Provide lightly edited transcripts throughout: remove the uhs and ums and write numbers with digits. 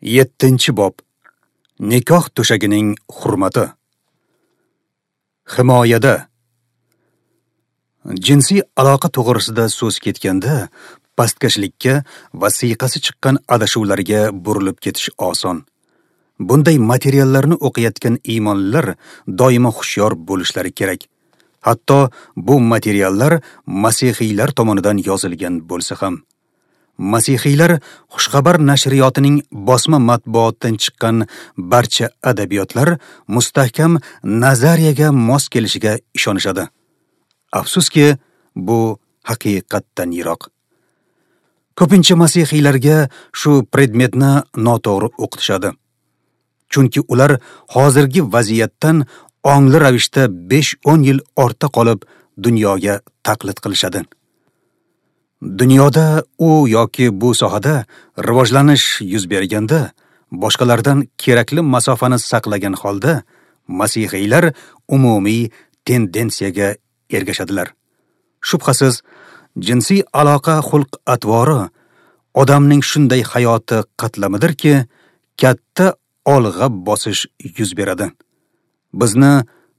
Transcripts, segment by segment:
7-bob. Nikoh to'shagining hurmati. Himoyada. Jinsiy aloqa to'g'risida so'z ketganda, pastkashlikka va siyqasi chiqqan adashuvlarga burilib ketish oson. Bunday materiallarni o'qiyotgan iymonlilar doimo hushyor bo'lishlari kerak. Hatto bu materiallar masihiylar tomonidan yozilgan bo'lsa ham. Masihiylar Xushxabar nashriyotining bosma matbuotdan chiqqan barcha adabiyotlar mustahkam nazariyaga mos kelishiga ishonishadi. Afsuski, bu haqiqatdan yiroq. Ko'pincha masihiylarga shu predmetni noto'g'ri o'qitishadi. Chunki ular hozirgi vaziyatdan ongli ravishda 5-10 yil ortda qolib dunyoga taqlid qilishadi. Dunyoda u yoki bu sohada rivojlanish yuz berganda, boshqalardan kerakli masofani saqlagan holda masihiylar umumiy tendensiyaga ergashadilar. Shubhasiz, jinsiy aloqa xulq-atvori odamning shunday hayoti qatlamidirki, katta olg'a bosish yuz beradi. Bizni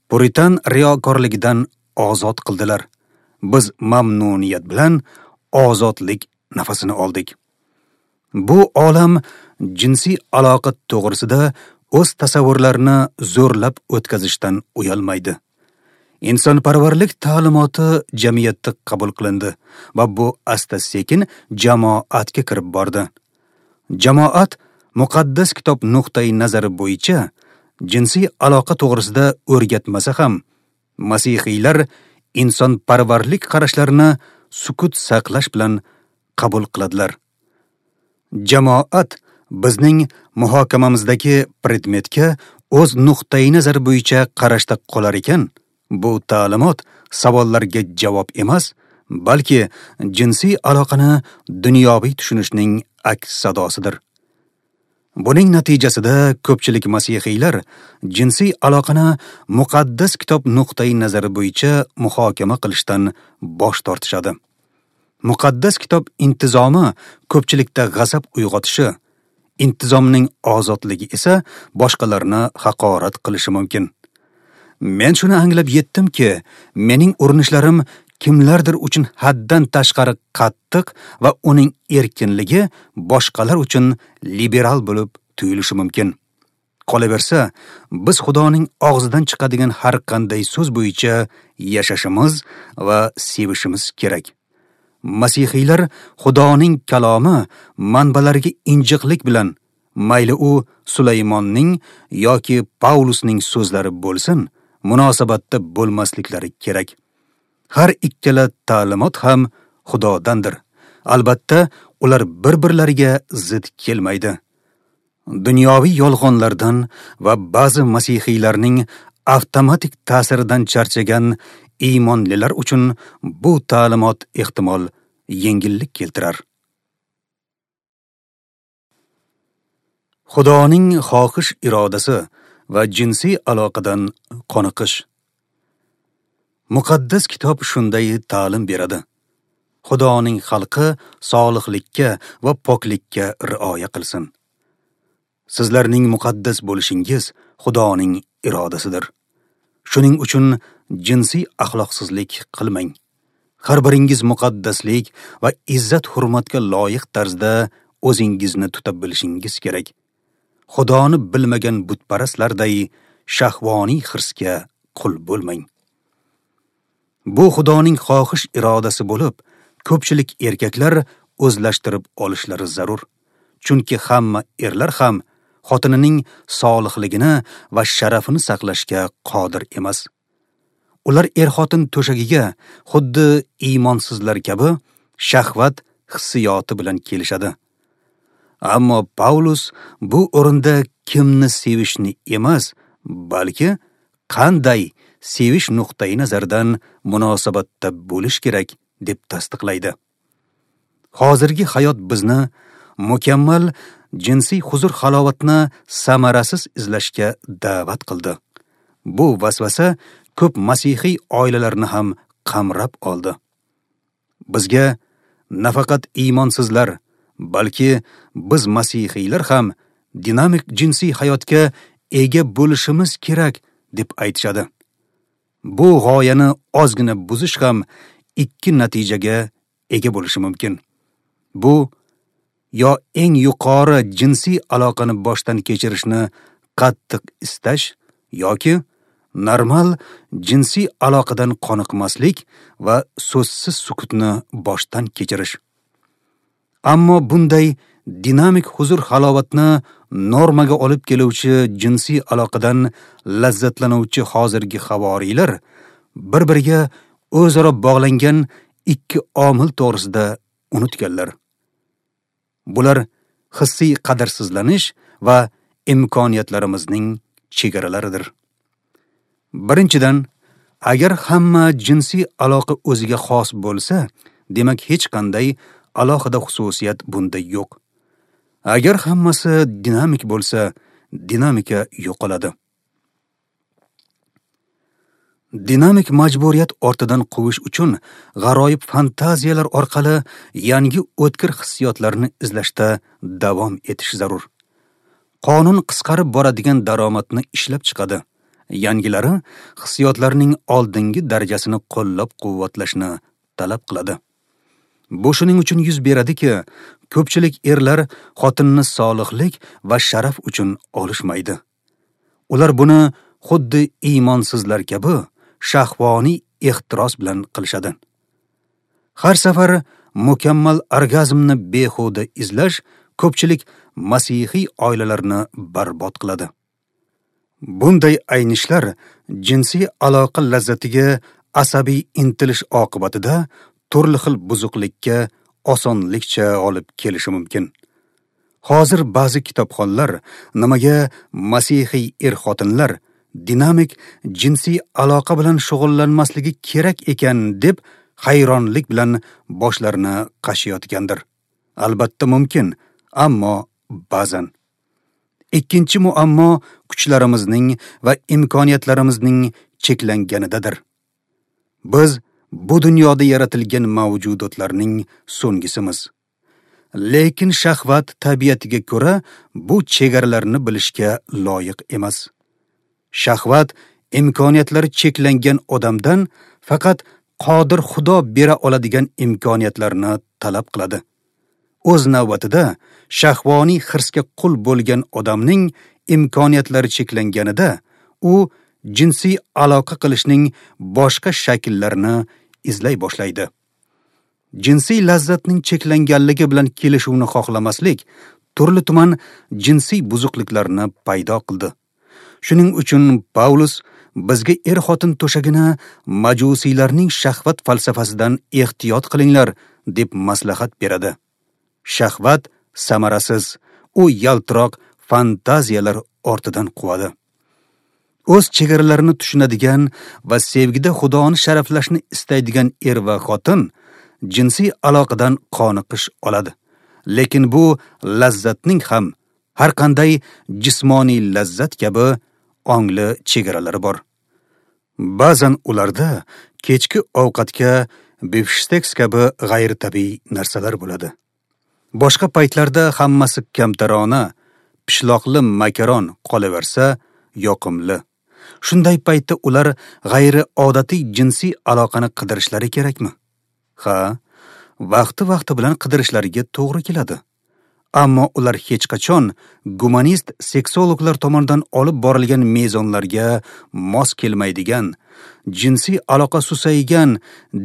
puritan riyokorligidan ozod qildilar. Biz mamnuniyat bilan ozodlik nafasini oldik. Bu olam jinsiy aloqa to'g'risida o'z tasavvurlarini zo'rlab o'tkazishdan uyalmaydi. Insonparvarlik ta'limoti jamiyatda qabul qilindi va bu asta-sekin jamoatga kirib bordi. Jamoat muqaddas kitob nuqtai nazari bo'yicha jinsiy aloqa to'g'risida o'rgatmasa ham, masihiylar insonparvarlik qarashlarini sukut saqlash bilan qabul qiladilar. Jamoat bizning muhokamamizdagi predmetga o'z nuqtai nazari bo'yicha qarashda qolar ekan, bu ta'limot savollarga javob emas, balki jinsiy aloqani dunyoviy tushunishning aks sadosidir. Buning natijasida ko'pchilik masihiylar jinsiy aloqani muqaddas kitob nuqtai nazari bo'yicha muhokama qilishdan bosh tortishadi. Muqaddas kitob intizomi ko'pchilikda g'azab uyg'otishi, intizomning ozodligi esa boshqalarni haqorat qilishi mumkin. Men shuni anglab yetdimki, mening urinishlarim kimlardir uchun haddan tashqari qattiq va uning erkinligi boshqalar uchun liberal bo'lib tuyulishi mumkin. Qolaversa, biz Xudoning og'zidan chiqadigan har qanday so'z bo'yicha yashashimiz va sevishimiz kerak. Masihiylar Xudoning kalomi manbalariga injiqlik bilan, mayli u Sulaymonning yoki Paulusning so'zlari bo'lsin, munosabatda bo'lmasliklari kerak. Har ikkala ta'limot ham Xudodandir. Albatta, ular bir-birlariga zid kelmaydi. Dunyoviy yolg'onlardan va ba'zi masihiylarning avtomatik ta'siridan charchagan iymonlilar uchun bu ta'limot ehtimol yengillik keltirar. Xudoning xohish irodasi va jinsiy aloqadan qoniqish. Muqaddas kitob shunday ta'lim beradi. Xudoning xalqi solihlikka va poklikka rioya qilsin. Sizlarning muqaddas bo'lishingiz Xudoning irodasidir. Shuning uchun jinsiy axloqsizlik qilmang. Har biringiz muqaddaslik va izzat-hurmatga loyiq tarzda o'zingizni tuta bilishingiz kerak. Xudoni bilmagan butparastlarday shahvoniy hirsga qul bo'lmang. Bu Xudoning xohish irodasi bo'lib, ko'pchilik erkaklar o'zlashtirib olishlari zarur. Chunki hamma erlar ham xotinining solihligini va sharafini saqlashga qodir emas. Ular er-xotin to'shagiga xuddi iymonsizlar kabi shahvat hissiyoti bilan kelishadi. Ammo Paulus bu o'rinda kimni sevishni emas, balki qanday sevish nuqtai nazaridan munosabatda bo'lish kerak deb tasdiqlaydi. Hozirgi hayot bizni mukammal jinsiy huzur-halovatni samarasiz izlashga da'vat qildi. Bu vasvasa ko'p masihiy oilalarni ham qamrab oldi. Bizga nafaqat iymonsizlar, balki biz masihiylar ham dinamik jinsiy hayotga ega bo'lishimiz kerak deb aytishadi. Bu g'oyani ozgina buzish ham ikki natijaga ega bo'lishi mumkin. Bu yo eng yuqori jinsiy aloqani boshdan kechirishni qattiq istash yoki normal jinsiy aloqadan qoniqmaslik va so'zsiz sukutni boshdan kechirish. Ammo bunday dinamik huzur-halovatni normaga olib keluvchi jinsiy aloqadan lazzatlanuvchi hozirgi havoriylar bir-biriga o'zaro bog'langan ikki omil to'g'risida unutganlar. Bular hissiy qadrsizlanish va imkoniyatlarimizning chegaralaridir. Birinchidan, agar hamma jinsiy aloqa o'ziga xos bo'lsa, demak hech qanday alohida xususiyat bunda yo'q. Agar hammasi dinamik bo'lsa, dinamika yo'qoladi. Dinamik majburiyat ortidan quvish uchun g'aroyib fantaziyalar orqali yangi o'tkir hissiyotlarni izlashda davom etish zarur. Qonun qisqarib boradigan daromadni ishlab chiqadi. Yangilari hissiyotlarning oldingi darajasini qo'llab-quvvatlashni talab qiladi. Bu shuning uchun yuz beradiki, ko'pchilik erlar xotinni solihlik va sharaf uchun olishmaydi. Ular buni xuddi iymonsizlar kabi shahvoniy ehtiros bilan qilishadi. Har safar mukammal orgazmni behuda izlash ko'pchilik masihiy oilalarni barbod qiladi. Bunday aynishlar jinsiy aloqa lazzatiga asabiy intilish oqibatida turli xil buzuqlikka osonlikcha olib kelishi mumkin. Hozir ba'zi kitobxonlar nimaga masihiy er-xotinlar dinamik jinsiy aloqa bilan shug'ullanmasligi kerak ekan deb hayronlik bilan boshlarini qashiyotgandir. Albatta mumkin, ammo ba'zan. Ikkinchi muammo kuchlarimizning va imkoniyatlarimizning cheklanganidadir. Biz bu dunyoda yaratilgan mavjudotlarning so'nggisimiz. Lekin shahvat tabiatiga ko'ra bu chegaralarni bilishga loyiq emas. Shahvat imkoniyatlari cheklangan odamdan faqat qodir Xudo bera oladigan imkoniyatlarni talab qiladi. O'z navbatida shahvoniy hirsga qul bo'lgan odamning imkoniyatlari cheklanganida u jinsiy aloqa qilishning boshqa shakllarini izlay boshlaydi. Jinsiy lazzatning cheklanganligi bilan kelishuvni xohlamaslik turli tuman jinsiy buzuqliklarni paydo qildi. Shuning uchun Paulus bizga er-xotin to'shagini majusiylarning shahvat falsafasidan ehtiyot qilinglar deb maslahat beradi. Shahvat samarasiz, u yaltiroq fantaziyalar ortidan quvadi. O'z chegaralarini tushunadigan va sevgida Xudoni sharaflashni istaydigan er va xotin jinsiy aloqadan qoniqish oladi. Lekin bu lazzatning ham har qanday jismoniy lazzat kabi ongli chegaralari bor. Ba'zan ularda kechki ovqatga bifshteks kabi g'ayritabiiy narsalar bo'ladi. Boshqa paytlarda hammasi kamtarona, pishloqli makaron qolaversa yoqimli. Shunday paytda ular g'ayriodatiy jinsiy aloqani qidirishlari kerakmi? Ha, vaqti-vaqti bilan qidirishlariga to'g'ri keladi. Ammo ular hech qachon gumanist seksologlar tomonidan olib borilgan mezonlarga mos kelmaydigan, jinsiy aloqa susaygan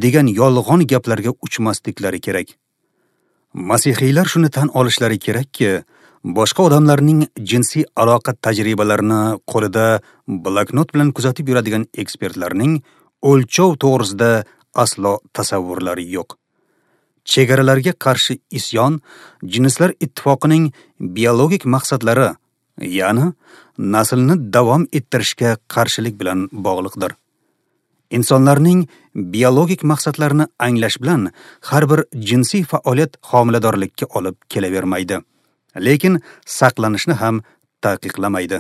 degan yolg'on gaplarga uchmasliklari kerak. Masihiylar shuni tan olishlari kerakki, boshqa odamlarning jinsiy aloqa tajribalarini qo'lida bloknot bilan kuzatib yuradigan ekspertlarning o'lchov to'g'risida aslo tasavvurlari yo'q. Chegaralarga qarshi isyon jinslar ittifoqining biologik maqsadlari, ya'ni naslni davom ettirishga qarshilik bilan bog'liqdir. Insonlarning biologik maqsadlarini anglash bilan har bir jinsiy faoliyat homiladorlikka olib kelavermaydi, lekin saqlanishni ham taqiqlamaydi.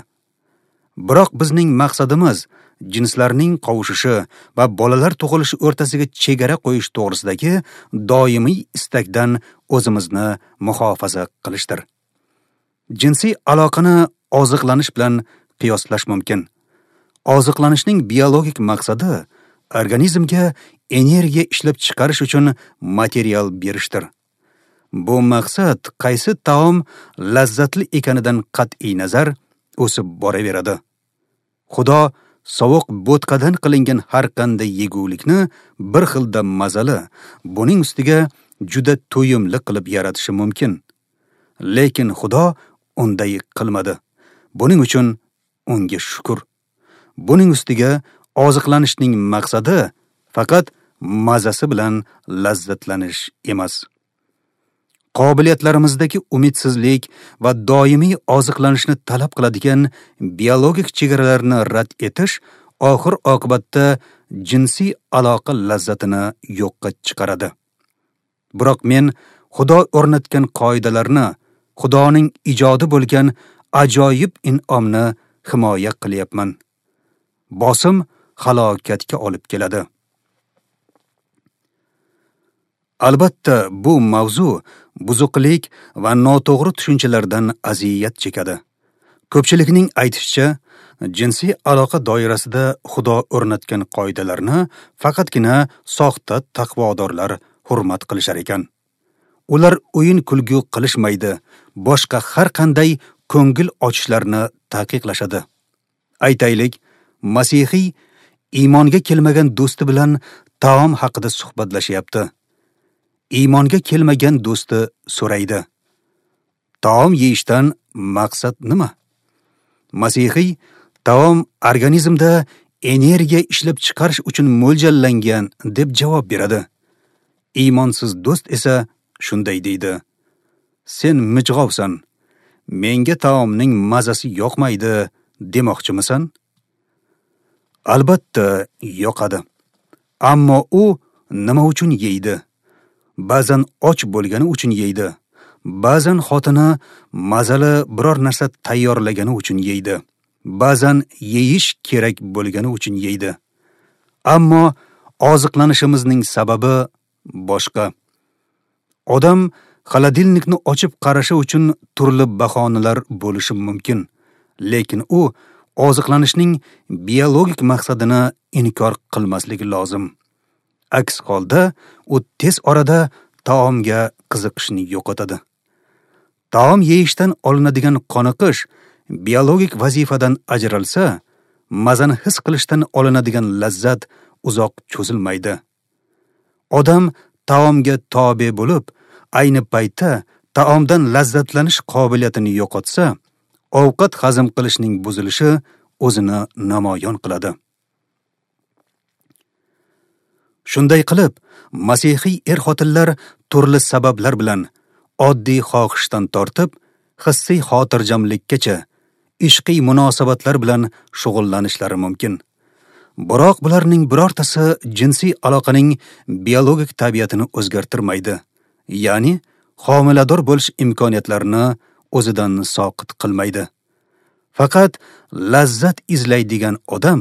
Biroq bizning maqsadimiz jinslarning qovushishi va bolalar tug'ilishi o'rtasiga chegara qo'yish to'g'risidagi doimiy istakdan o'zimizni muhofaza qilishdir. Jinsiy aloqani oziqlanish bilan qiyoslash mumkin. Oziqlanishning biologik maqsadi organizmga energiya ishlab chiqarish uchun material berishdir. Bu maqsad qaysi taom lazzatli ekanidan qat'iy nazar o'sib boraveradi. Xudo sovuq bo'tqadan qilingan har qanday yegulikni bir xilda mazali, buning ustiga juda to'yimli qilib yaratishi mumkin. Lekin Xudo unday qilmadi. Buning uchun unga shukr. Buning ustiga oziqlanishning maqsadi faqat mazasi bilan lazzatlanish emas. Qobiliyatlarimizdagi umidsizlik va doimiy oziqlanishni talab qiladigan biologik chegaralarni rad etish oxir oqibatda jinsiy aloqa lazzatini yo'qqa chiqaradi. Biroq men Xudo o'rnatgan qoidalarni, Xudoning ijodi bo'lgan ajoyib in'omni himoya qilyapman. Bosim halokatga olib keladi. Albatta, bu mavzu buzuqlik va noto'g'ri tushunchalardan aziyat chekadi. Ko'pchilikning aytishicha, jinsiy aloqa doirasida Xudo o'rnatgan qoidalarni faqatgina soxta taqvodorlar hurmat qilishar ekan. Ular o'yin kulgu qilishmaydi, boshqa har qanday ko'ngil ochishlarni taqiqlashadi. Aytaylik, masihiy iymonga kelmagan do'sti bilan taom haqida suhbatlashyapti. Iymonga kelmagan do'sti so'raydi: taom yeyishdan maqsad nima? Masihiy taom organizmda energiya ishlab chiqarish uchun mo'ljallangan deb javob beradi. Iymonsiz do'st esa shunday deydi: sen mijg'ovsan, menga taomning mazasi yoqmaydi demoqchimisan? Albatta yoqadi. Ammo u nima uchun yeydi? Ba'zan och bo'lgani uchun yeydi. Ba'zan xotini mazali biror narsa tayyorlagani uchun yeydi. Ba'zan yeyish kerak bo'lgani uchun yeydi. Ammo oziqlanishimizning sababi boshqa. Odam xolodilnikni ochib qarashi uchun turli bahonalar bo'lishi mumkin, lekin u oziqlanishning biologik maqsadini inkor qilmasligi lozim. Aks holda u tez orada taomga qiziqishni yo'qotadi. Taom yeyishdan olinadigan qoniqish biologik vazifadan ajralsa, mazani his qilishdan olinadigan lazzat uzoq cho'zilmaydi. Odam taomga tobe bo'lib, ayni paytda taomdan lazzatlanish qobiliyatini yo'qotsa, ovqat hazm qilishning buzilishi o'zini namoyon qiladi. Shunday qilib, masihiy er-xotinlar turli sabablar bilan oddiy xohishdan tortib, hissiy xotirjamlikkacha ishqiy munosabatlar bilan shug'ullanishlari mumkin. Biroq bularning birortasi jinsiy aloqaning biologik tabiatini o'zgartirmaydi, ya'ni homilador bo'lish imkoniyatlarini o'zidan soqit qilmaydi. Faqat lazzat izlaydigan odam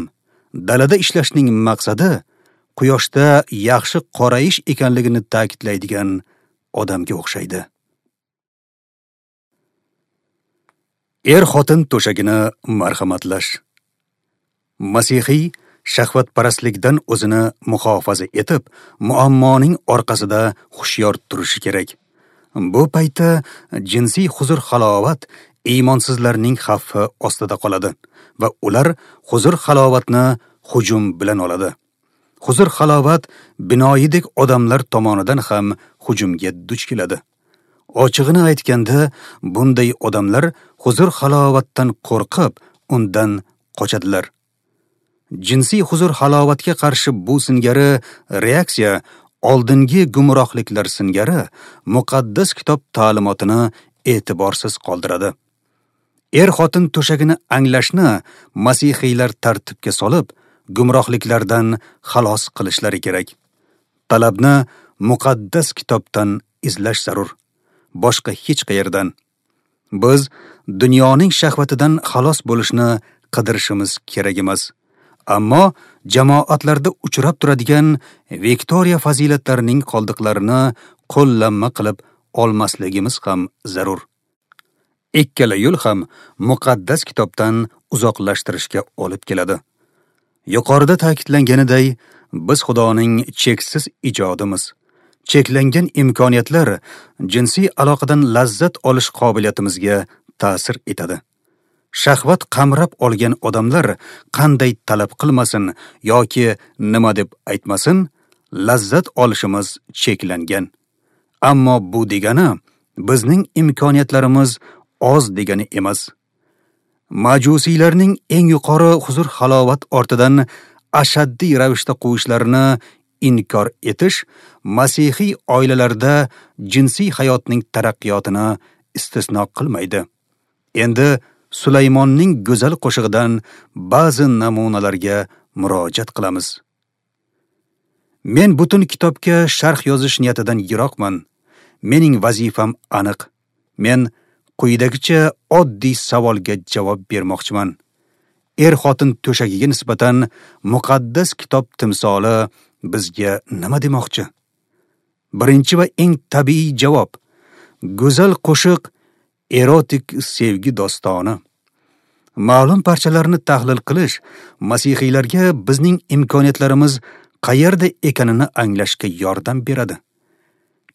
dalada ishlashning maqsadi quyoshda yaxshi qorayish ekanligini ta'kidlaydigan odamga o'xshaydi. Er-xotin to'shagini marhamatlash. Masihiy shahvatparastlikdan o'zini muhofaza etib, muammoning orqasida hushyor turishi kerak. Bu paytda jinsiy huzur-halovat iymonsizlarning xavfi ostida qoladi va ular huzur-halovatni hujum bilan oladi. Huzur-halovat binoyidek odamlar tomonidan ham hujumga duch keladi. Ochig'ini aytganda, bunday odamlar huzur-halovatdan qo'rqib, undan qochadilar. Jinsiy huzur-halovatga qarshi bu singari reaksiya oldingi gumrohliklar singari muqaddas kitob ta'limotini e'tiborsiz qoldiradi. Er-xotin to'shagini anglashni masihiylar tartibga solib, gumrohliklardan xalos qilishlari kerak. Talabni muqaddas kitobdan izlash zarur, boshqa hech qayerdan. Biz dunyoning shahvatidan xalos bo'lishni qidirishimiz kerak emas. Ammo jamoatlarda uchrab turadigan Viktoriya fazilatlarining qoldiqlarini qo'llanma qilib olmasligimiz ham zarur. Ikkala yo'l ham muqaddas kitobdan uzoqlashtirishga olib keladi. Yuqorida ta'kidlanganiday, biz Xudoning cheksiz ijodimiz. Cheklangan imkoniyatlar jinsiy aloqadan lazzat olish qobiliyatimizga ta'sir etadi. Shahvat qamrab olgan odamlar qanday talab qilmasin yoki nima deb aytmasin, lazzat olishimiz cheklangan. Ammo bu degani bizning imkoniyatlarimiz oz degani emas. Majusiylarning eng yuqori huzur-halovat ortidan ashaddiy ravishda quvishlarini inkor etish masihiy oilalarda jinsiy hayotning taraqqiyotini istisno qilmaydi. Endi Sulaymonning go'zal qo'shig'idan ba'zi namunalarga murojaat qilamiz. Men butun kitobga sharh yozish niyatidan yiroqman. Mening vazifam aniq. Men quyidagicha oddiy savolga javob bermoqchiman. Er-xotin to'shagiga nisbatan muqaddas kitob timsoli bizga nima demoqchi? Birinchi va eng tabiiy javob: go'zal qo'shiq erotik sevgi dostoni. Ma'lum parchalarni tahlil qilish masihiylarga bizning imkoniyatlarimiz qayerda ekanini anglashga yordam beradi.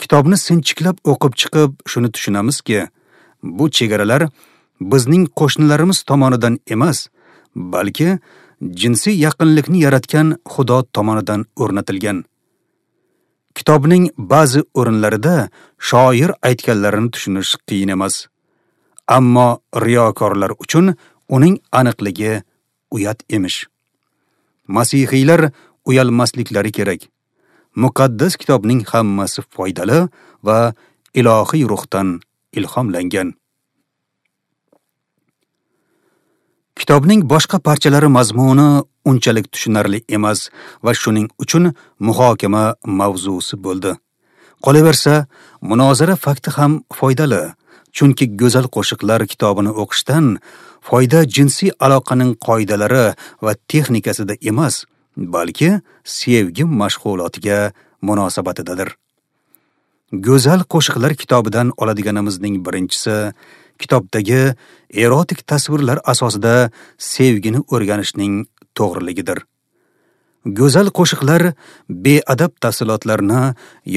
Kitobni sinchiklab o'qib chiqib, shuni tushunamizki, bu chegaralar bizning qo'shnilarimiz tomonidan emas, balki jinsiy yaqinlikni yaratgan Xudo tomonidan o'rnatilgan. Kitobning ba'zi o'rinlarida shoir aytganlarini tushunish qiyin emas. Ammo riyokorlar uchun uning aniqligi uyat emish. Masihiylar uyalmasliklari kerak. Muqaddas kitobning hammasi foydali va ilohiy ruhdan ilhomlangan. Kitobning boshqa parchalari mazmuni unchalik tushunarli emas va shuning uchun muhokama mavzusi bo'ldi. Qolaversa, munozara fakti ham foydali, chunki go'zal qo'shiqlar kitobini o'qishdan foyda jinsiy aloqaning qoidalari va texnikasida emas, balki sevgi mashg'ulotiga munosabatidadir. Go'zal qo'shiqlar kitobidan oladiganimizning birinchisi kitobdagi erotik tasvirlar asosida sevgini o'rganishning to'g'riligidir. Go'zal qo'shiqlar beadab tafsilotlarni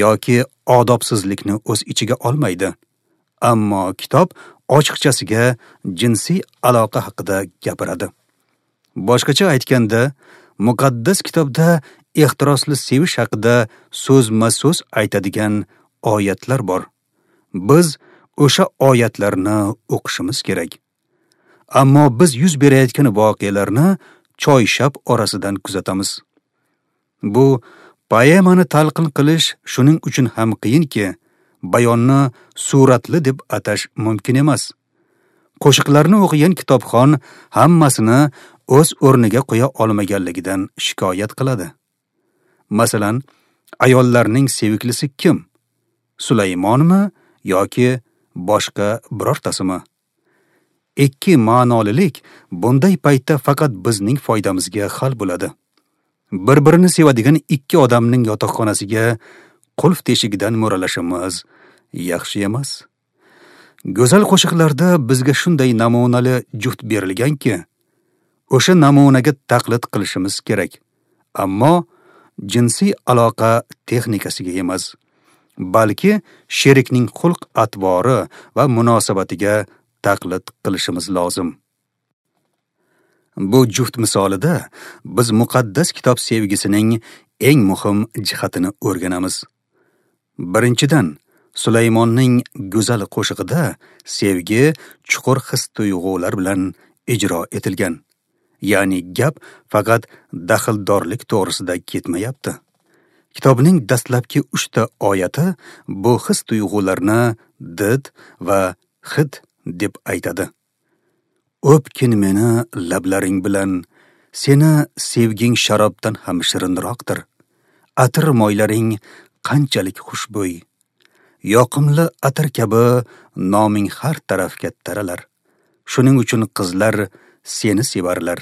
yoki odobsizlikni o'z ichiga olmaydi. Ammo kitob ochiqchasiga jinsiy aloqa haqida gapiradi. Boshqacha aytganda, muqaddas kitobda ehtirosli sevish haqida so'zma-so'z aytadigan oyatlar bor. Biz o'sha oyatlarni o'qishimiz kerak. Ammo biz yuz berayotgan voqealarni choyshab orasidan kuzatamiz. Bu poemani talqin qilish shuning uchun ham qiyinki, bayonni suratli deb atash mumkin emas. Qo'shiqlarni o'qigan kitobxon hammasini o'z o'rniga qo'ya olmaganligidan shikoyat qiladi. Masalan, ayollarning seviklisi kim? Sulaymonmi yoki boshqa birortasimi? Ikki ma'nolilik bunday paytda faqat bizning foydamizga hal bo'ladi. Bir-birini sevadigan ikki odamning yotoqxonasiga qulf teshigidan mo'ralashimiz yaxshi emas. Go'zal qo'shiqlarda bizga shunday namunali juft berilganki, o'sha namunaga taqlid qilishimiz kerak. Ammo jinsiy aloqa texnikasiga emas, balki sherikning xulq-atvori va munosabatiga taqlid qilishimiz lozim. Bu juft misolida biz muqaddas kitob sevgisining eng muhim jihatini o'rganamiz. Birinchidan, Sulaymonning go'zal qo'shig'ida sevgi chuqur his-tuyg'ular bilan ijro etilgan. Ya'ni gap faqat daxldorlik to'g'risida ketmayapti. Kitobning dastlabki 3 ta oyati bu his-tuyg'ularni did va hid deb aytadi. O'pkin meni lablaring bilan, seni sevging sharobdan ham shirinroqdir. Atir moylaring qanchalik xushbo'y. Yoqimli atir kabi noming har tarafga taralar. Shuning uchun qizlar seni sevarlar.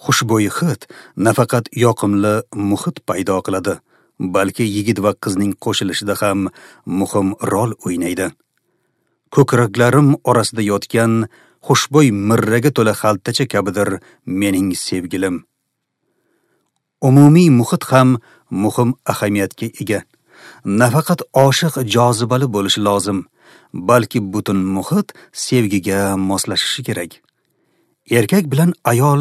Xushbo'y hid nafaqat yoqimli muhit paydo qiladi, balki yigit va qizning qo'shilishida ham muhim rol o'ynaydi. Ko'kraklarim orasida yotgan xushbo'y mirraga to'la xaltacha kabidir mening sevgilim. Umumiy muhit ham muhim ahamiyatga ega. Nafaqat oshiq jozibali bo'lishi lozim, balki butun muhit sevgiga moslashishi kerak. Erkak bilan ayol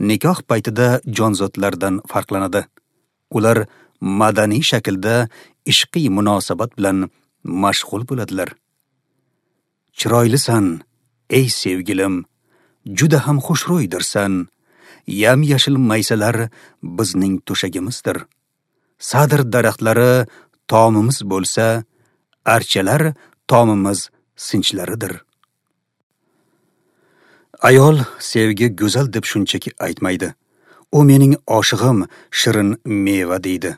nikoh paytida jonzotlardan farqlanadi. Ular madaniy shaklda ishqiy munosabat bilan mashg'ul bo'ladilar. Chiroylisan, ey sevgilim, juda ham xushro'ydirsan. Yam-yashil maysalar bizning to'shagimizdir. Sadr daraxtlari tomimiz bo'lsa, archalar tomimiz sinchlaridir. Ayol sevgi go'zal deb shunchaki aytmaydi. U mening oshig'im, shirin meva deydi.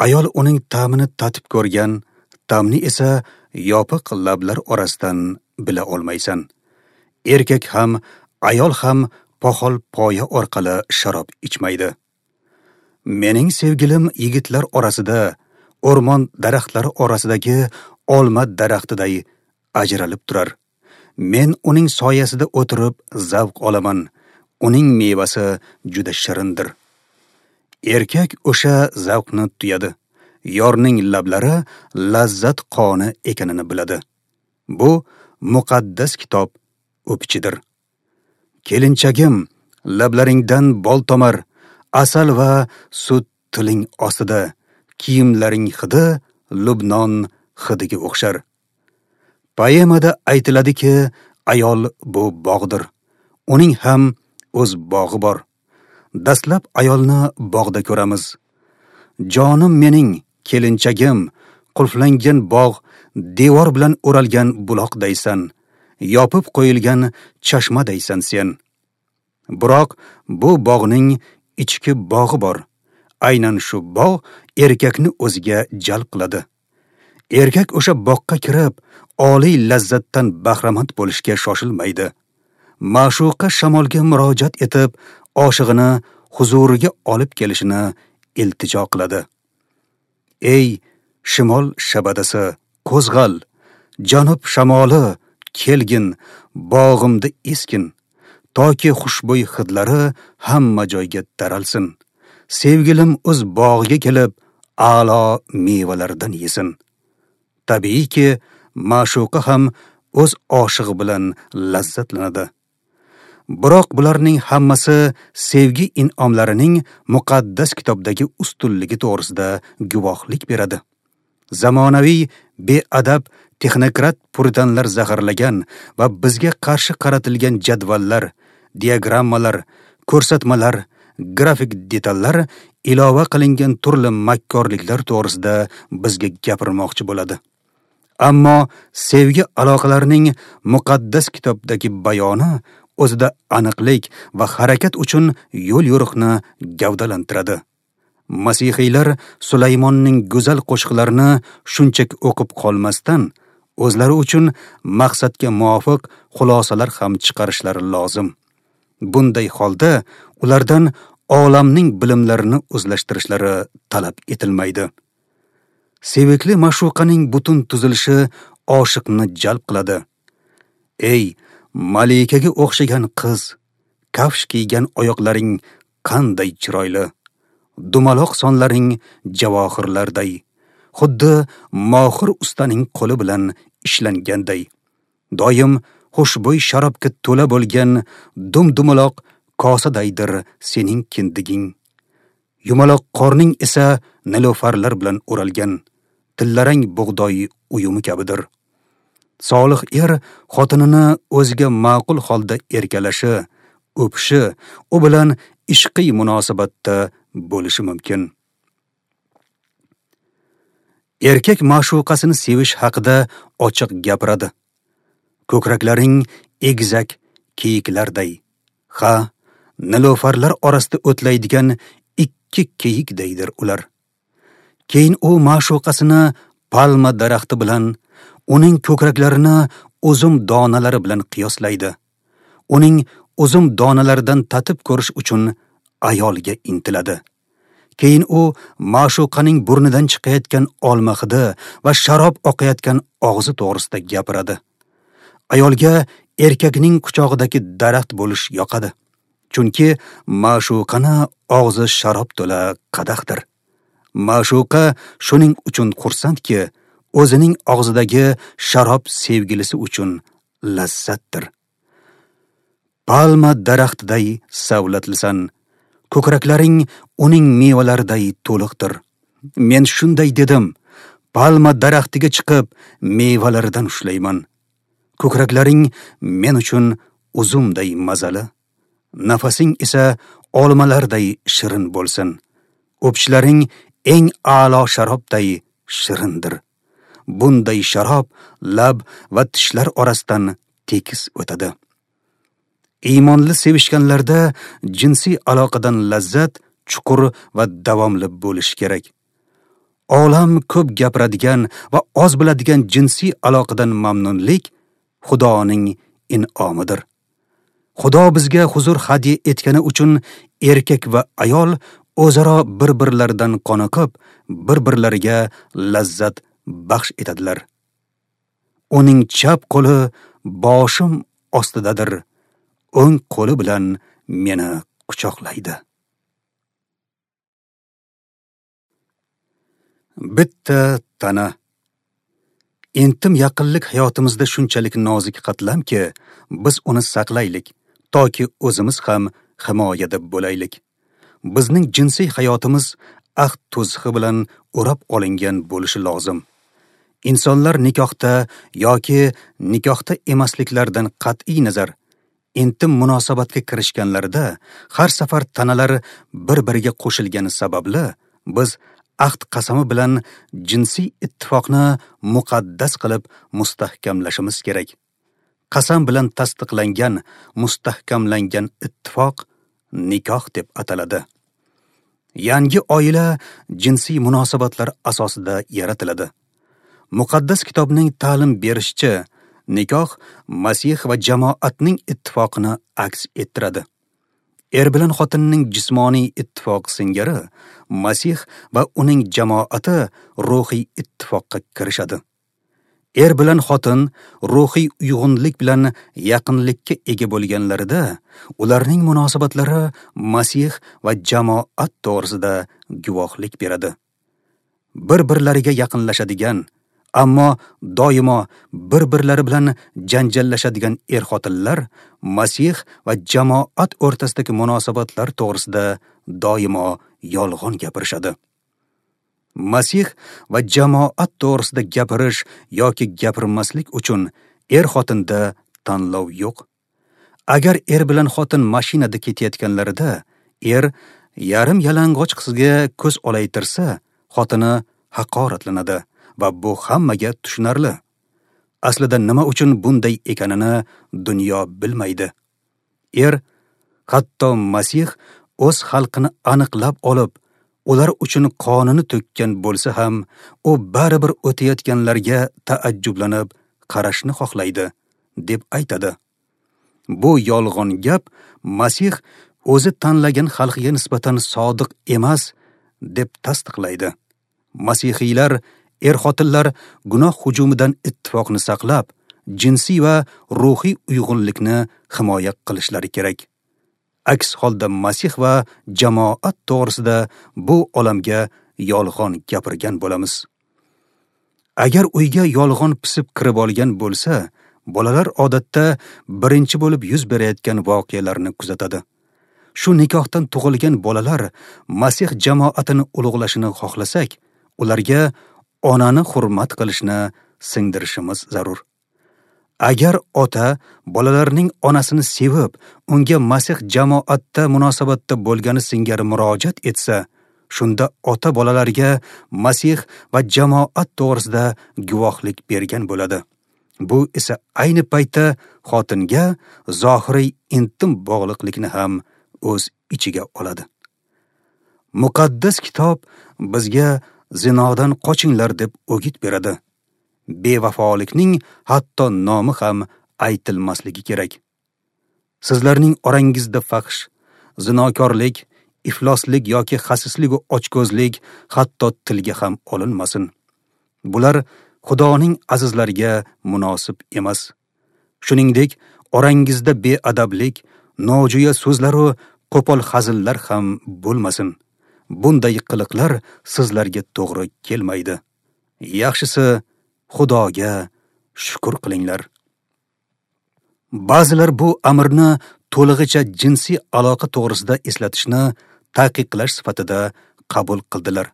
Ayol uning ta'mini tatib ko'rgan, ta'mni esa yopiq lablar orasidan bila olmaysan. Erkak ham, ayol ham poxol poya orqali sharob ichmaydi. Mening sevgilim yigitlar orasida, o'rmon daraxtlari orasidagi olma daraxtiday ajralib turar. Men uning soyasida o'tirib zavq olaman. Uning mevasi juda shirindir. Erkak o'sha zavqni tuyadi. Yorning lablari lazzat qoni ekanini biladi. Bu muqaddas kitob o'pichidir. Kelinchagim, lablaringdan bol tomar, asal va sut tiling ostida, kiyimlaring hidi Lubnon hidiga o'xshar. Poemada aytiladiki, ayol bu bog'dir. Uning ham o'z bog'i bor. Dastlab ayolni bog'da ko'ramiz. Jonim mening, kelinchagim, qulflangan bog', devor bilan o'ralgan buloqdaysan, yopib qo'yilgan chashmadaysan sen. Biroq bu bog'ning ichki bog'i bor. Aynan shu bog' erkakni o'ziga jalb qiladi. Erkak o'sha boqqa kirib, oliy lazzatdan bahramand bo'lishga shoshilmaydi. Ma'shuqa shamolga murojaat etib, oshig'ini huzuriga olib kelishini iltijo qiladi. Ey shimol shabadasi, qo'zg'al, janub shamoli, kelgin, bog'imda eskin, toki xushbo'y hidlari hamma joyga taralsin. Sevgilim o'z bog'iga kelib, a'lo mevalardan yesin. Tabiiyki, ma'shuqa ham o'z oshig'i bilan lazzatlanadi. Biroq bularning hammasi sevgi in'omlarining muqaddas kitobdagi ustunligi to'g'risida guvohlik beradi. Zamonaviy beadab texnokrat puritanlar zaharlagan va bizga qarshi qaratilgan jadvallar, diagrammalar, ko'rsatmalar, grafik detallar ilova qilingan turli makkorliklar to'g'risida bizga gapirmoqchi bo'ladi. Ammo sevgi aloqalarining muqaddas kitobdagi bayoni o'zida aniqlik va harakat uchun yo'l-yo'riqni gavdalantiradi. Masihiylar Sulaymonning go'zal qo'shiqlarini shunchaki o'qib qolmasdan, o'zlari uchun maqsadga muvofiq xulosalar ham chiqarishlari lozim. Bunday holda ulardan olamning bilimlarini o'zlashtirishlari talab etilmaydi. Sevikli ma'shuqaning butun tuzilishi oshiqni jalb qiladi. Ey malikaga o'xshagan qiz, kafsh kiygan oyoqlaring qanday chiroyli, dumaloq sonlaring javohirlarday, xuddi mohir ustaning qo'li bilan ishlanganday. Doim xushbo'y sharobga to'la bo'lgan dum-dumaloq kosadaydir sening kindiging. Yumaloq qorning esa nilofarlar bilan o'ralgan, tillarang bug'doy uyumi kabidir. Solih er xotinini o'ziga ma'qul holda erkalashi, o'pishi, u bilan ishqiy munosabatda bo'lishi mumkin. Erkak ma'shuqasini sevish haqida ochiq gapiradi. Ko'kraklaring egizak kiyiklarday, ha, nilofarlar orasida o'tlaydigan ikki kiyikdaydir ular. Keyin u ma'shuqasini palma daraxti bilan, uning ko'kraklarini uzum donalari bilan qiyoslaydi. Uning uzum donalaridan tatib ko'rish uchun ayolga intiladi. Keyin u ma'shuqaning burnidan chiqayotgan olma hidi va sharob oqayotgan og'zi to'g'risida gapiradi. Ayolga erkakning quchog'idagi daraxt bo'lish yoqadi. Chunki ma'shuqani og'zi sharob to'la qadahdir. Ma'shuqa shuning uchun xursandki, o'zining og'zidagi sharob sevgilisi uchun lazzatdir. Palma daraxtiday savlatlisan, ko'kraklaring uning mevalariday to'liqdir. Men shunday dedim, palma daraxtiga chiqib mevalaridan ushlayman. Ko'kraklaring men uchun uzumday mazali, nafasing esa olmalarday shirin bo'lsin. O'pishlaring eng a'lo sharobday shirindir. Bunday sharob lab va tishlar orasidan tekis o'tadi. Iymonli sevishganlarda jinsiy aloqadan lazzat chuqur va davomli bo'lishi kerak. Olam ko'p gapiradigan va oz biladigan jinsiy aloqadan mamnunlik Xudoning in'omidir. Xudo bizga huzur hadya etgani uchun erkak va ayol o'zaro bir-birlaridan qoniqib, bir-birlariga lazzat baxsh etadilar. Uning chap qo'li boshim ostidadir, o'ng qo'li bilan meni quchoqlaydi. Bitta tana. Intim yaqinlik hayotimizda shunchalik nozik qatlamki, biz uni saqlaylik, toki o'zimiz ham himoyada bo'laylik. Bizning jinsiy hayotimiz ahd to'zig'i bilan o'rab olingan bo'lishi lozim. Insonlar nikohda yoki nikohda emasliklaridan qat'iy nazar intim munosabatga kirishganlarida har safar tanalar bir-biriga qo'shilgani sababli biz ahd qasami bilan jinsiy ittifoqni muqaddas qilib mustahkamlashimiz kerak. Qasam bilan tasdiqlangan, mustahkamlangan ittifoq nikoh deb ataladi. Yangi oila jinsiy munosabatlar asosida yaratiladi. Muqaddas kitobning ta'lim berishicha, nikoh Masih va jamoatning ittifoqini aks ettiradi. Er bilan xotinning jismoniy ittifoqi singari Masih va uning jamoati ruhiy ittifoqqa kirishadi. Er bilan xotin ruhiy uyg'unlik bilan yaqinlikka ega bo'lganlarida ularning munosabatlari Masih va jamoat to'g'risida guvohlik beradi. Bir-birlariga yaqinlashadigan, ammo doimo bir-birlari bilan janjallashadigan er-xotinlar Masih va jamoat o'rtasidagi munosabatlar to'g'risida doimo yolg'on gapirishadi. Masih va jamoat to'g'risida gapirish yoki gapirmaslik uchun er-xotinda tanlov yo'q. Agar er bilan xotin mashinada ketayotganlarida er yarim yalang'och qizga ko'z olaytirsa, xotini haqoratlanadi va bu hammaga tushunarli. Aslida nima uchun bunday ekanini dunyo bilmaydi. Er, hatto Masih o'z xalqini aniqlab olib, ular uchun qonini to'kkan bo'lsa ham, u baribir o'tayotganlarga taajjublanib qarashni xohlaydi, deb aytadi. Bu yolg'on gap Masih o'zi tanlagan xalqiga nisbatan sodiq emas deb tasdiqlaydi. Masihiylar er-xotinlar gunoh hujumidan ittifoqni saqlab, jinsiy va ruhiy uyg'unlikni himoya qilishlari kerak. Aks holda Masih va jamoat to'g'risida bu olamga yolg'on gapirgan bo'lamiz. Agar uyga yolg'on pisib kirib olgan bo'lsa, bolalar odatda birinchi bo'lib yuz berayotgan voqealarni kuzatadi. Shu nikohdan tug'ilgan bolalar Masih jamoatini ulug'lashini xohlasak, ularga onani hurmat qilishni singdirishimiz zarur. Agar ota bolalarning onasini sevib, unga Masih jamoatda munosabatda bo'lgani singari murojaat etsa, shunda ota bolalarga Masih va jamoat to'g'risida guvohlik bergan bo'ladi. Bu esa ayni paytda xotinga zohiriy intim bog'liqlikni ham o'z ichiga oladi. Muqaddas kitob bizga zinodan qochinglar deb o'git beradi. Bevafolikning hatto nomi ham aytilmasligi kerak. Sizlarning orangizda fahsh, zinokorlik, ifloslik yoki xasislik va ochko'zlik hatto tilga ham olinmasin. Bular Xudoning azizlariga munosib emas. Shuningdek, orangizda beadablik, nojo'ya so'zlar va qo'pol hazillar ham bo'lmasin. Bunday qiliqlar sizlarga to'g'ri kelmaydi. Yaxshisi, Xudoga shukr qilinglar. Ba'zilar bu amrni to'lig'icha jinsiy aloqa to'g'risida eslatishni taqiqlash sifatida qabul qildilar.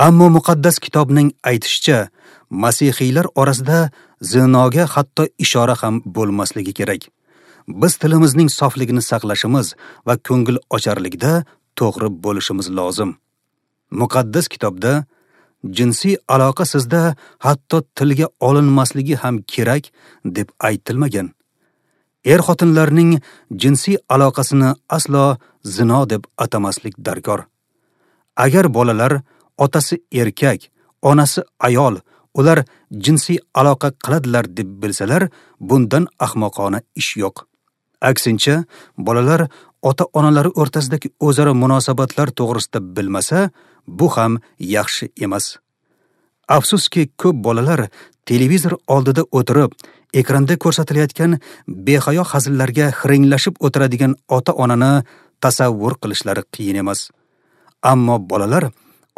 Ammo muqaddas kitobning aytishicha, masihiylar orasida zinoga hatto ishora ham bo'lmasligi kerak. Biz tilimizning sofligini saqlashimiz va ko'ngil ocharlikda to'g'ri bo'lishimiz lozim. Muqaddas kitobda jinsiy aloqa sizda hatto tilga olinmasligi ham kerak deb aytilmagan. Er-xotinlarning jinsiy aloqasini aslo zino deb atamaslik darkor. Agar bolalar otasi erkak, onasi ayol, ular jinsiy aloqa qiladilar deb bilsalar, bundan ahmoqona ish yo'q. Aksincha, bolalar ota-onalari o'rtasidagi o'zaro munosabatlar to'g'risida bilmasa, bu ham yaxshi emas. Afsuski, ko'p bolalar televizor oldida o'tirib, ekranda ko'rsatilayotgan behayo hazillarga hiringlashib o'tiradigan ota-onani tasavvur qilishlari qiyin emas. Ammo bolalar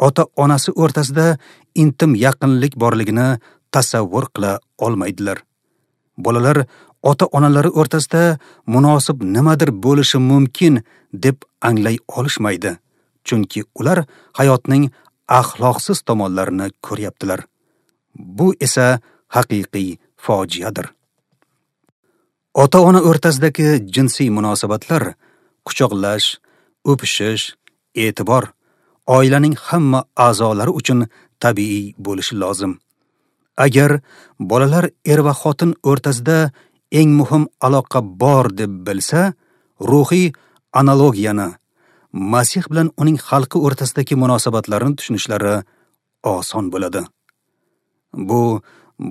ota-onasi o'rtasida intim yaqinlik borligini tasavvur qila olmaydilar. Bolalar ota-onalari o'rtasida munosib nimadir bo'lishi mumkin deb anglay olishmaydi, chunki ular hayotning axloqsiz tomonlarini ko'ryaptilar. Bu esa haqiqiy fojiadir. Ota-ona o'rtasidagi jinsiy munosabatlar, quchoqlash, o'pishish, e'tibor oilaning hamma a'zolari uchun tabiiy bo'lishi lozim. Agar bolalar er va xotin o'rtasida eng muhim aloqa bor deb bilsa, ruhiy analogiyani, Masih bilan uning xalqi o'rtasidagi munosabatlarni tushunishlari oson bo'ladi. Bu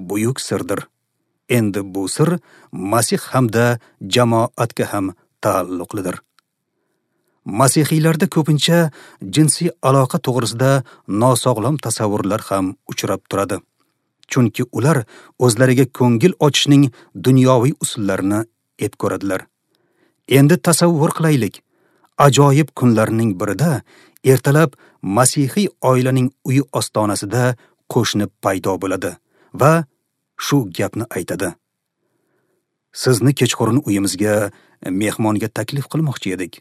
buyuk sirdir. Endi bu sir Masih hamda jamoatga ham taalluqlidir. Masihiylarda ko'pincha jinsiy aloqa to'g'risida nosog'lom tasavvurlar ham uchrab turadi. Chunki ular o'zlariga ko'ngil ochishning dunyoviy usullarini ep ko'radilar. Endi tasavvur qilaylik. Ajoyib kunlarning birida ertalab masihiy oilaning uyi ostonasida qo'shni paydo bo'ladi va shu gapni aytadi: Sizni kechqurun uyimizga mehmonga taklif qilmoqchi edik.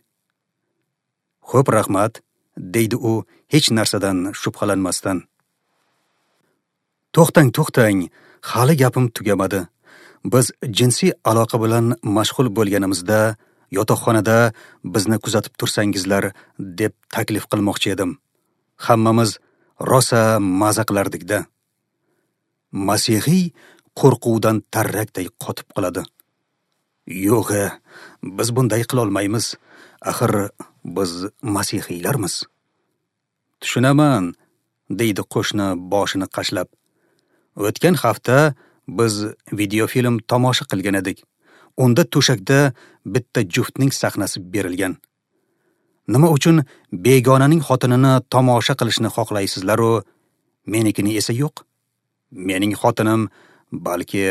Xo'p, rahmat, deydi u hech narsadan shubhalanmasdan. To'xtang, to'xtang, hali gapim tugamadi. Biz jinsiy aloqa bilan mashg'ul bo'lganimizda yotoqxonada bizni kuzatib tursangizlar deb taklif qilmoqchi edim. Hammamiz rosa maza qilardik-da. Masihiy qo'rquvdan tarrakday qotib qoladi. Yo'q, biz bunday qila olmaymiz. Axir biz masihiylarmiz. Tushunaman, deydi qo'shni boshini qashlab. O'tgan hafta biz videofilm tomosha qilgan edik. Unda to'shakda bitta juftning sahnasi berilgan. Nima uchun begonaning xotinini tomosha qilishni xohlaysizlar-u, menikini esa yo'q? Mening xotinim balki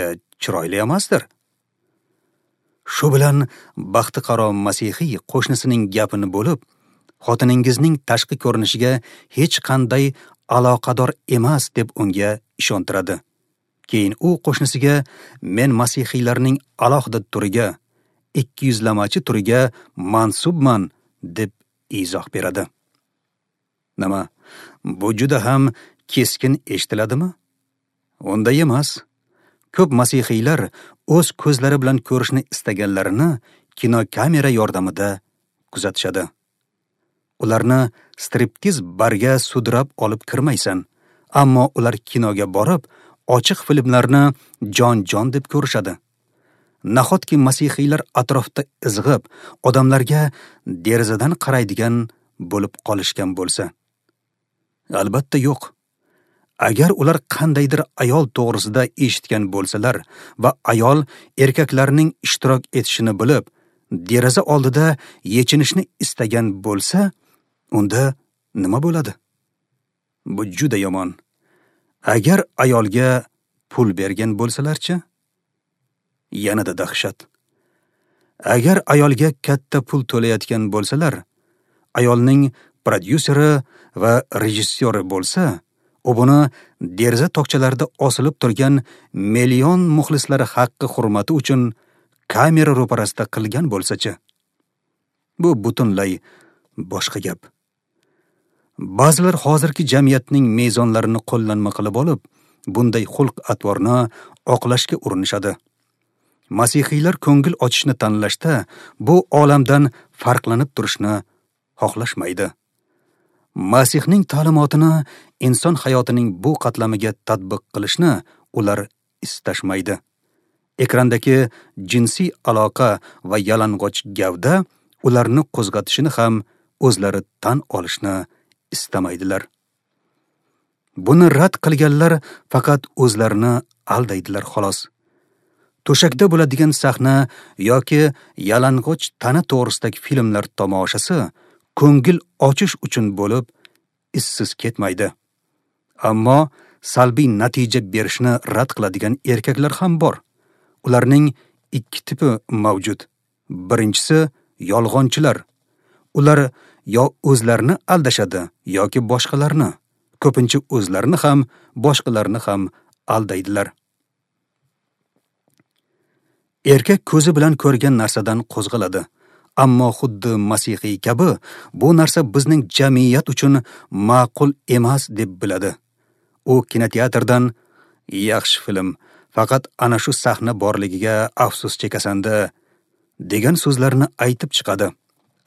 chiroyli emasdir. Shu bilan baxtiqaro masihiy qo'shnisining gapini bo'lib, xotiningizning tashqi ko'rinishiga hech qanday aloqador emas deb unga ishontiradi. Keyin u qo'shnisiga men masihiylarning alohida turiga, ikkiyuzlamachi turiga mansubman deb izoh beradi. Nima, bu juda ham keskin eshitiladimi? Unday emas. Ko'p masihiylar o'z ko'zlari bilan ko'rishni istaganlarini kinokamera yordamida kuzatishadi. Ularni striptiz barga sudrab olib kirmaysan, ammo ular kinoga borib, ochiq filmlarni jon-jon deb ko'rishadi. Nahotki masihiylar atrofda izg'ib, odamlarga derazadan qaraydigan bo'lib qolishgan bo'lsa? Albatta yo'q. Agar ular qandaydir ayol to'g'risida eshitgan bo'lsalar va ayol erkaklarning ishtirok etishini bilib, deraza oldida yechinishni istagan bo'lsa, unda nima bo'ladi? Bu juda yomon. Agar ayolga pul bergan bo'lsalarchi? Yanada dahshat. Agar ayolga katta pul to'layotgan bo'lsalar, ayolning prodyuseri va rejissyori bo'lsa, u buni deraza tokchalarida osilib turgan million muxlislari haqqi hurmati uchun kamera ro'parasida qilgan bo'lsa-chi? Bu butunlay boshqa gap. Ba'zilar hozirgi jamiyatning mezonlarini qo'llanma qilib olib, bunday xulq-atvorni oqlashga urinishadi. Masihiylar ko'ngil ochishni tanlashda bu olamdan farqlanib turishni xohlashmaydi. Masihning ta'limotini inson hayotining bu qatlamiga tatbiq qilishni ular istashmaydi. Ekrandagi jinsiy aloqa va yalang'och gavda ularni qo'zg'atishini ham o'zlari tan olishni istamaydilar. Buni rad qilganlar faqat o'zlarini aldaydilar xolos. To'shakda bo'ladigan sahna yoki yalang'och tana to'g'risidagi filmlar tomoshasi ko'ngil ochish uchun bo'lib, izsiz ketmaydi. Ammo salbiy natija berishni rad qiladigan erkaklar ham bor. Ularning ikki tipi mavjud. Birinchisi yolg'onchilar. Ular yo o'zlarini aldashadi yoki boshqalarni. Ko'pincha o'zlarini ham, boshqalarni ham aldaydilar. Erkak ko'zi bilan ko'rgan narsadan qo'zg'aladi. Ammo xuddi masihiy kabi bu narsa bizning jamiyat uchun ma'qul emas deb biladi. U kinoteatrdan yaxshi film, faqat ana shu sahna borligiga afsus chekasanda degan so'zlarni aytib chiqadi.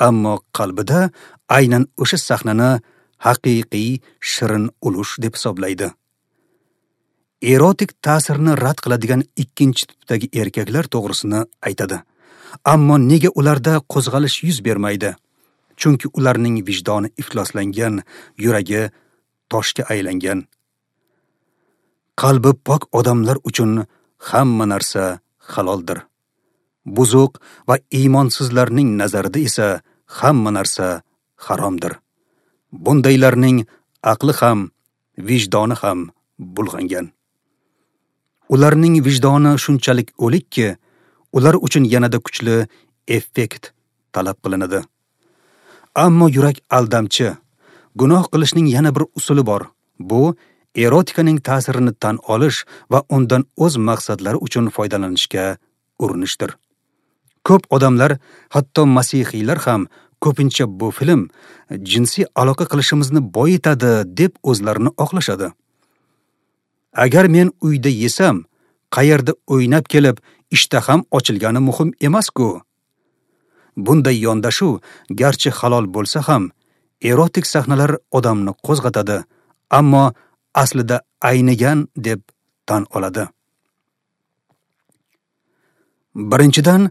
Ammo qalbida aynan o'sha sahnani haqiqiy shirin ulush deb hisoblaydi. Erotik ta'sirni rad qiladigan ikkinchi tipdagi erkaklar to'g'risini aytadi. Ammo nega ularda qo'zg'alish yuz bermaydi? Chunki ularning vijdoni ifloslangan, yuragi toshga aylangan. Qalbi pok odamlar uchun hamma narsa haloldir. Buzuq va iymonsizlarning nazarida esa hamma narsa haromdir. Bundaylarning aqli ham, vijdoni ham bulg'angan. Ularning vijdoni shunchalik o'likki, ular uchun yanada kuchli effekt talab qilinadi. Ammo yurak aldamchi. Gunoh qilishning yana bir usuli bor. Bu erotikaning ta'sirini tan olish va undan o'z maqsadlari uchun foydalanishga urinishdir. Ko'p odamlar, hatto masihiylar ham ko'pincha bu film jinsiy aloqa qilishimizni boyitadi deb o'zlarini oqlashadi. Agar men uyda yesam, qayerda o'ynab kelib, ishtaham ochilgani muhim emas-ku. Bunday yondashuv garchi halol bo'lsa ham, erotik sahnalar odamni qo'zg'atadi, ammo aslida aynigan deb tan oladi. Birinchidan,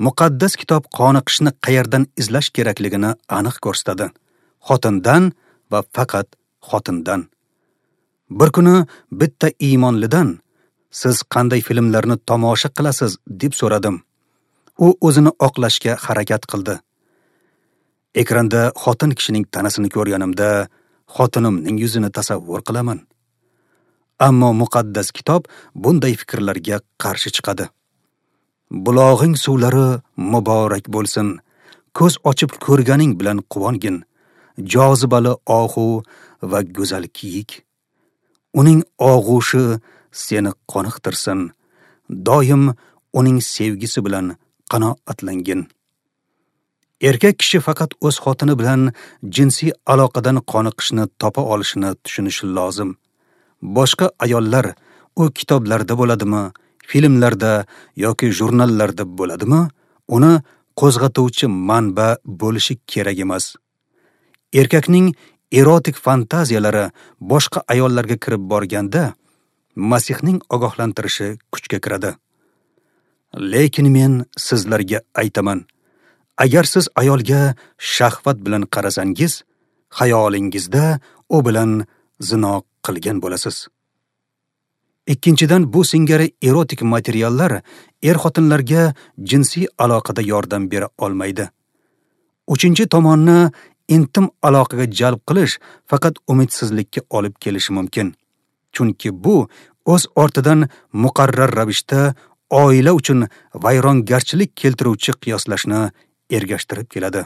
muqaddas kitob qoniqishni qayerdan izlash kerakligini aniq ko'rsatadi. Xotindan va faqat xotindan. Bir kuni bitta iymonlidan siz qanday filmlarni tomosha qilasiz deb so'radim. U o'zini oqlashga harakat qildi. Ekranda xotin kishining tanasini ko'rganimda xotinimning yuzini tasavvur qilaman. Ammo muqaddas kitob bunday fikrlarga qarshi chiqadi. Bulog'ing suvlari muborak bo'lsin. Ko'z ochib ko'rganing bilan quvongin. Jozibali ohu va go'zal kiyik. Uning og'ushi seni qoniqtirsin. Doim uning sevgisi bilan qanoatlangin. Erkak kishi faqat o'z xotini bilan jinsiy aloqadan qoniqishni topa olishini tushunishi lozim. Boshqa ayollar u kitoblarda bo'ladimi, filmlarda yoki jurnallarda bo'ladimi, uni qo'zg'atuvchi manba bo'lishi kerak emas. Erkakning erotik fantaziyalari boshqa ayollarga kirib borganda, Masihning ogohlantirishi kuchga kiradi. Lekin men sizlarga aytaman, agar siz ayolga shahvat bilan qarasangiz, xayolingizda u bilan zino qilgan bo'lasiz. Ikkinchidan, bu singari erotik materiallar er-xotinlarga jinsiy aloqada yordam bera olmaydi. Uchinchi tomonni intim aloqaga jalb qilish faqat umidsizlikka olib kelishi mumkin. Chunki bu o'z ortidan muqarrar ravishda oila uchun vayrongarchilik keltiruvchi qiyoslashni ergashtirib keladi.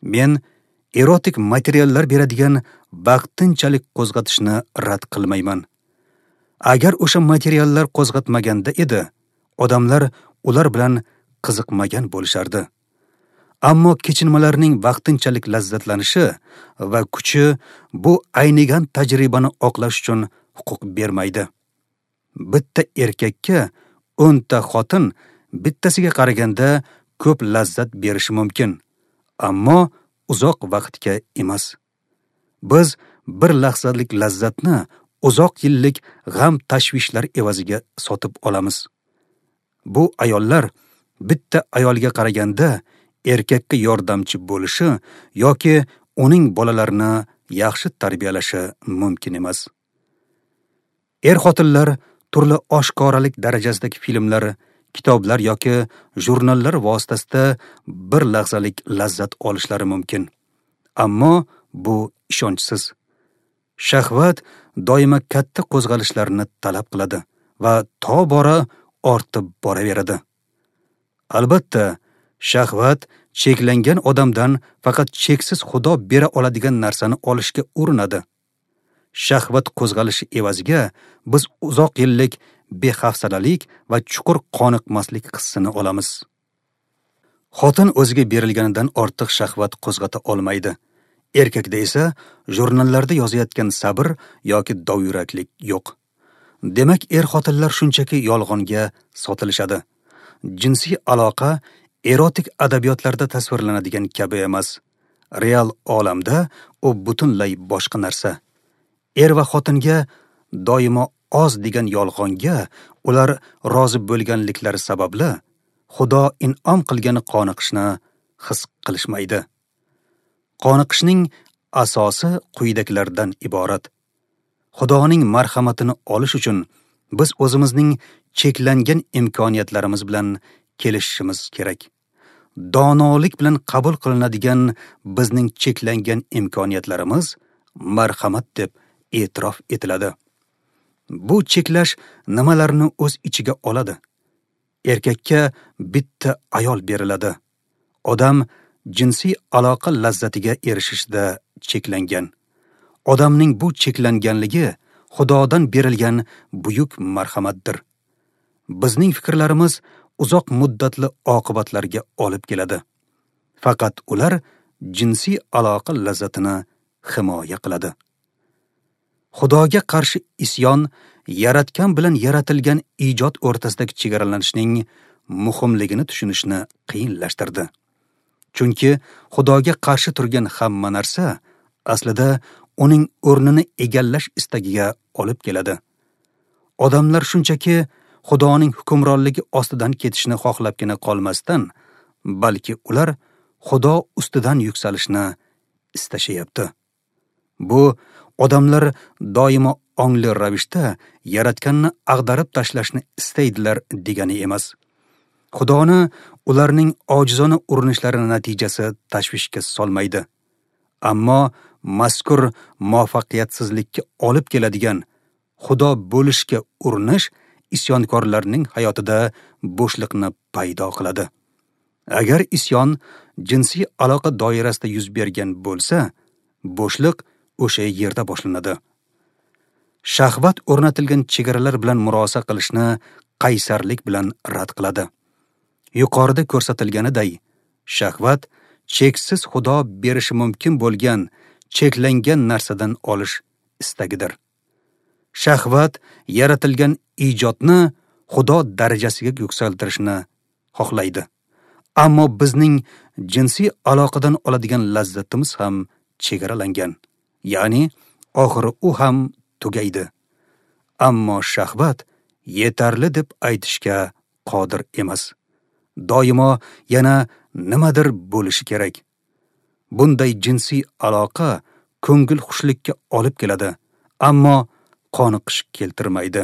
Men erotik materiallar beradigan vaqtinchalik qo'zg'atishni rad qilmayman. Agar o'sha materiallar qo'zg'atmaganda edi, odamlar ular bilan qiziqmagan bo'lishardi. Ammo kechinmalarning vaqtinchalik lazzatlanishi va kuchi bu aynigan tajribani oqlash uchun huquq bermaydi. Bitta erkakka 10 ta xotin bittasiga qaraganda ko'p lazzat berishi mumkin, ammo uzoq vaqtga emas. Biz bir lahzalik lazzatni uzoq yillik g'am tashvishlar evaziga sotib olamiz. Bu ayollar bitta ayolga qaraganda erkakka yordamchi bo'lishi yoki uning bolalarini yaxshi tarbiyalashi mumkin emas. Er-xotinlar turli oshkoralik darajasidagi filmlar, kitoblar yoki jurnallar vositasida bir lahzalik lazzat olishlari mumkin. Ammo bu ishonchsiz. Shahvat doimo katta qo'zg'alishlarni talab qiladi va tobora ortib boraveradi. Albatta, shahvat cheklangan odamdan faqat cheksiz Xudo bera oladigan narsani olishga urinadi. Shahvat qo'zg'alishi evaziga biz uzoq yillik bexafsalalik va chuqur qoniqmaslik hissini olamiz. Xotin o'ziga berilganidan ortiq shahvat qo'zg'ata olmaydi. Erkakda esa jurnallarda yozayotgan sabr yoki dovyuraklik yo'q. Demak, er-xotinlar shunchaki yolg'onga sotilishadi. Jinsiy aloqa erotik adabiyotlarda tasvirlanadigan kabi emas. Real olamda u butunlay boshqa narsa. Er va xotinga doimo oz degan yolg'onga ular rozi bo'lganliklari sababli Xudo in'om qilgan qoniqishni his qilishmaydi. Qoniqishning asosi quyidagilardan iborat. Xudoning marhamatini olish uchun biz o'zimizning cheklangan imkoniyatlarimiz bilan kelishishimiz kerak. Donolik bilan qabul qilinadigan bizning cheklangan imkoniyatlarimiz marhamat deb e'tirof etiladi. Bu cheklash nimalarni o'z ichiga oladi? Erkakka bitta ayol beriladi. Odam jinsiy aloqa lazzatiga erishishda cheklangan. Odamning bu cheklanganligi Xudodan berilgan buyuk marhamatdir. Bizning fikrlarimiz uzoq muddatli oqibatlarga olib keladi. Faqat ular jinsiy aloqa lazzatini himoya qiladi. Xudoga qarshi isyon yaratgan bilan yaratilgan ijod o'rtasidagi chegaralanishning muhimligini tushunishni qiyinlashtirdi. Chunki Xudoga qarshi turgan hamma narsa aslida uning o'rnini egallash istagiga olib keladi. Odamlar shunchaki Xudoning hukmronligi ostidan ketishni xohlabgina qolmasdan, balki ular Xudo ustidan yuksalishni istashyapti. Bu odamlar doimo ongli ravishda yaratganni ag'darib tashlashni istaydilar degani emas. Xudoni ularning ojizona urinishlari natijasi tashvishga solmaydi. Ammo mazkur muvaffaqiyatsizlikka olib keladigan Xudo bo'lishga urinish isyonkorlarning hayotida bo'shliqni paydo qiladi. Agar isyon jinsiy aloqa doirasida yuz bergan bo'lsa, bo'shliq o'sha yerda boshlanadi. Shahvat o'rnatilgan chegaralar bilan murosa qilishni qaysarlik bilan rad qiladi. Yuqorida ko'rsatilganiday, shahvat cheksiz Xudo berishi mumkin bo'lgan cheklangan narsadan olish istagidir. Shahvat yaratilgan ijodni Xudo darajasiga yuksaltirishni xohlaydi. Ammo bizning jinsiy aloqadan oladigan lazzatimiz ham chegaralangan. Ya'ni oxiri u ham tugaydi. Ammo shahvat yetarli deb aytishga qodir emas. Doimo yana nimadir bo'lishi kerak. Bunday jinsiy aloqa ko'ngil xushlikka olib keladi, ammo qoniqish keltirmaydi.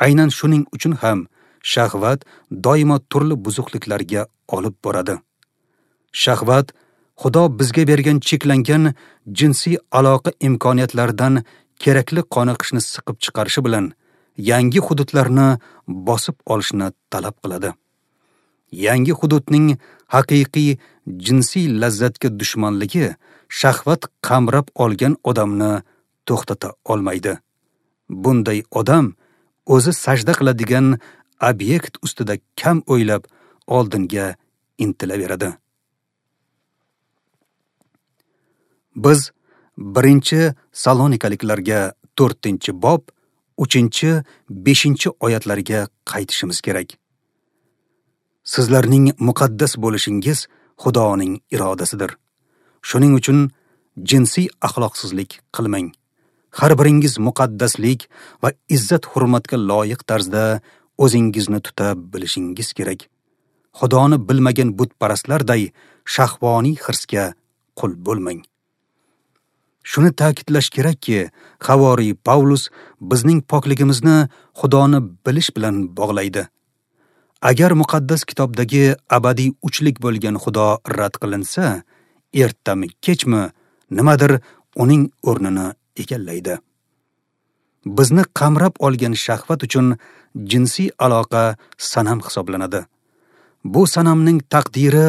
Aynan shuning uchun ham shahvat doimo turli buzuqliklarga olib boradi. Shahvat Xudo bizga bergan cheklangan jinsiy aloqa imkoniyatlaridan kerakli qoniqishni siqib chiqarishi bilan yangi hududlarni bosib olishni talab qiladi. Yangi hududning haqiqiy jinsiy lazzatga dushmanligi shahvat qamrab olgan odamni to'xtata olmaydi. Bunday odam o'zi sajda qiladigan obyekt ustida kam o'ylab oldinga intilaveradi. Biz 1 Salonikaliklarga 4-bob 3-5 oyatlarga qaytishimiz kerak. Sizlarning muqaddas bo'lishingiz Xudoning irodasidir. Shuning uchun jinsiy axloqsizlik qilmang. Har biringiz muqaddaslik va izzat-hurmatga loyiq tarzda o'zingizni tuta bilishingiz kerak. Xudoni bilmagan butparastlarday shahvoniy hirsga qul bo'lmang. Shuni ta'kidlash kerakki, Havoriy Pavlus bizning pokligimizni Xudoni bilish bilan bog'laydi. Agar muqaddas kitobdagi abadiy uchlik bo'lgan Xudo rad qilinsa, ertami kechmi nimadir uning o'rnini egallaydi. Bizni qamrab olgan shahvat uchun jinsiy aloqa sanam hisoblanadi. Bu sanamning taqdiri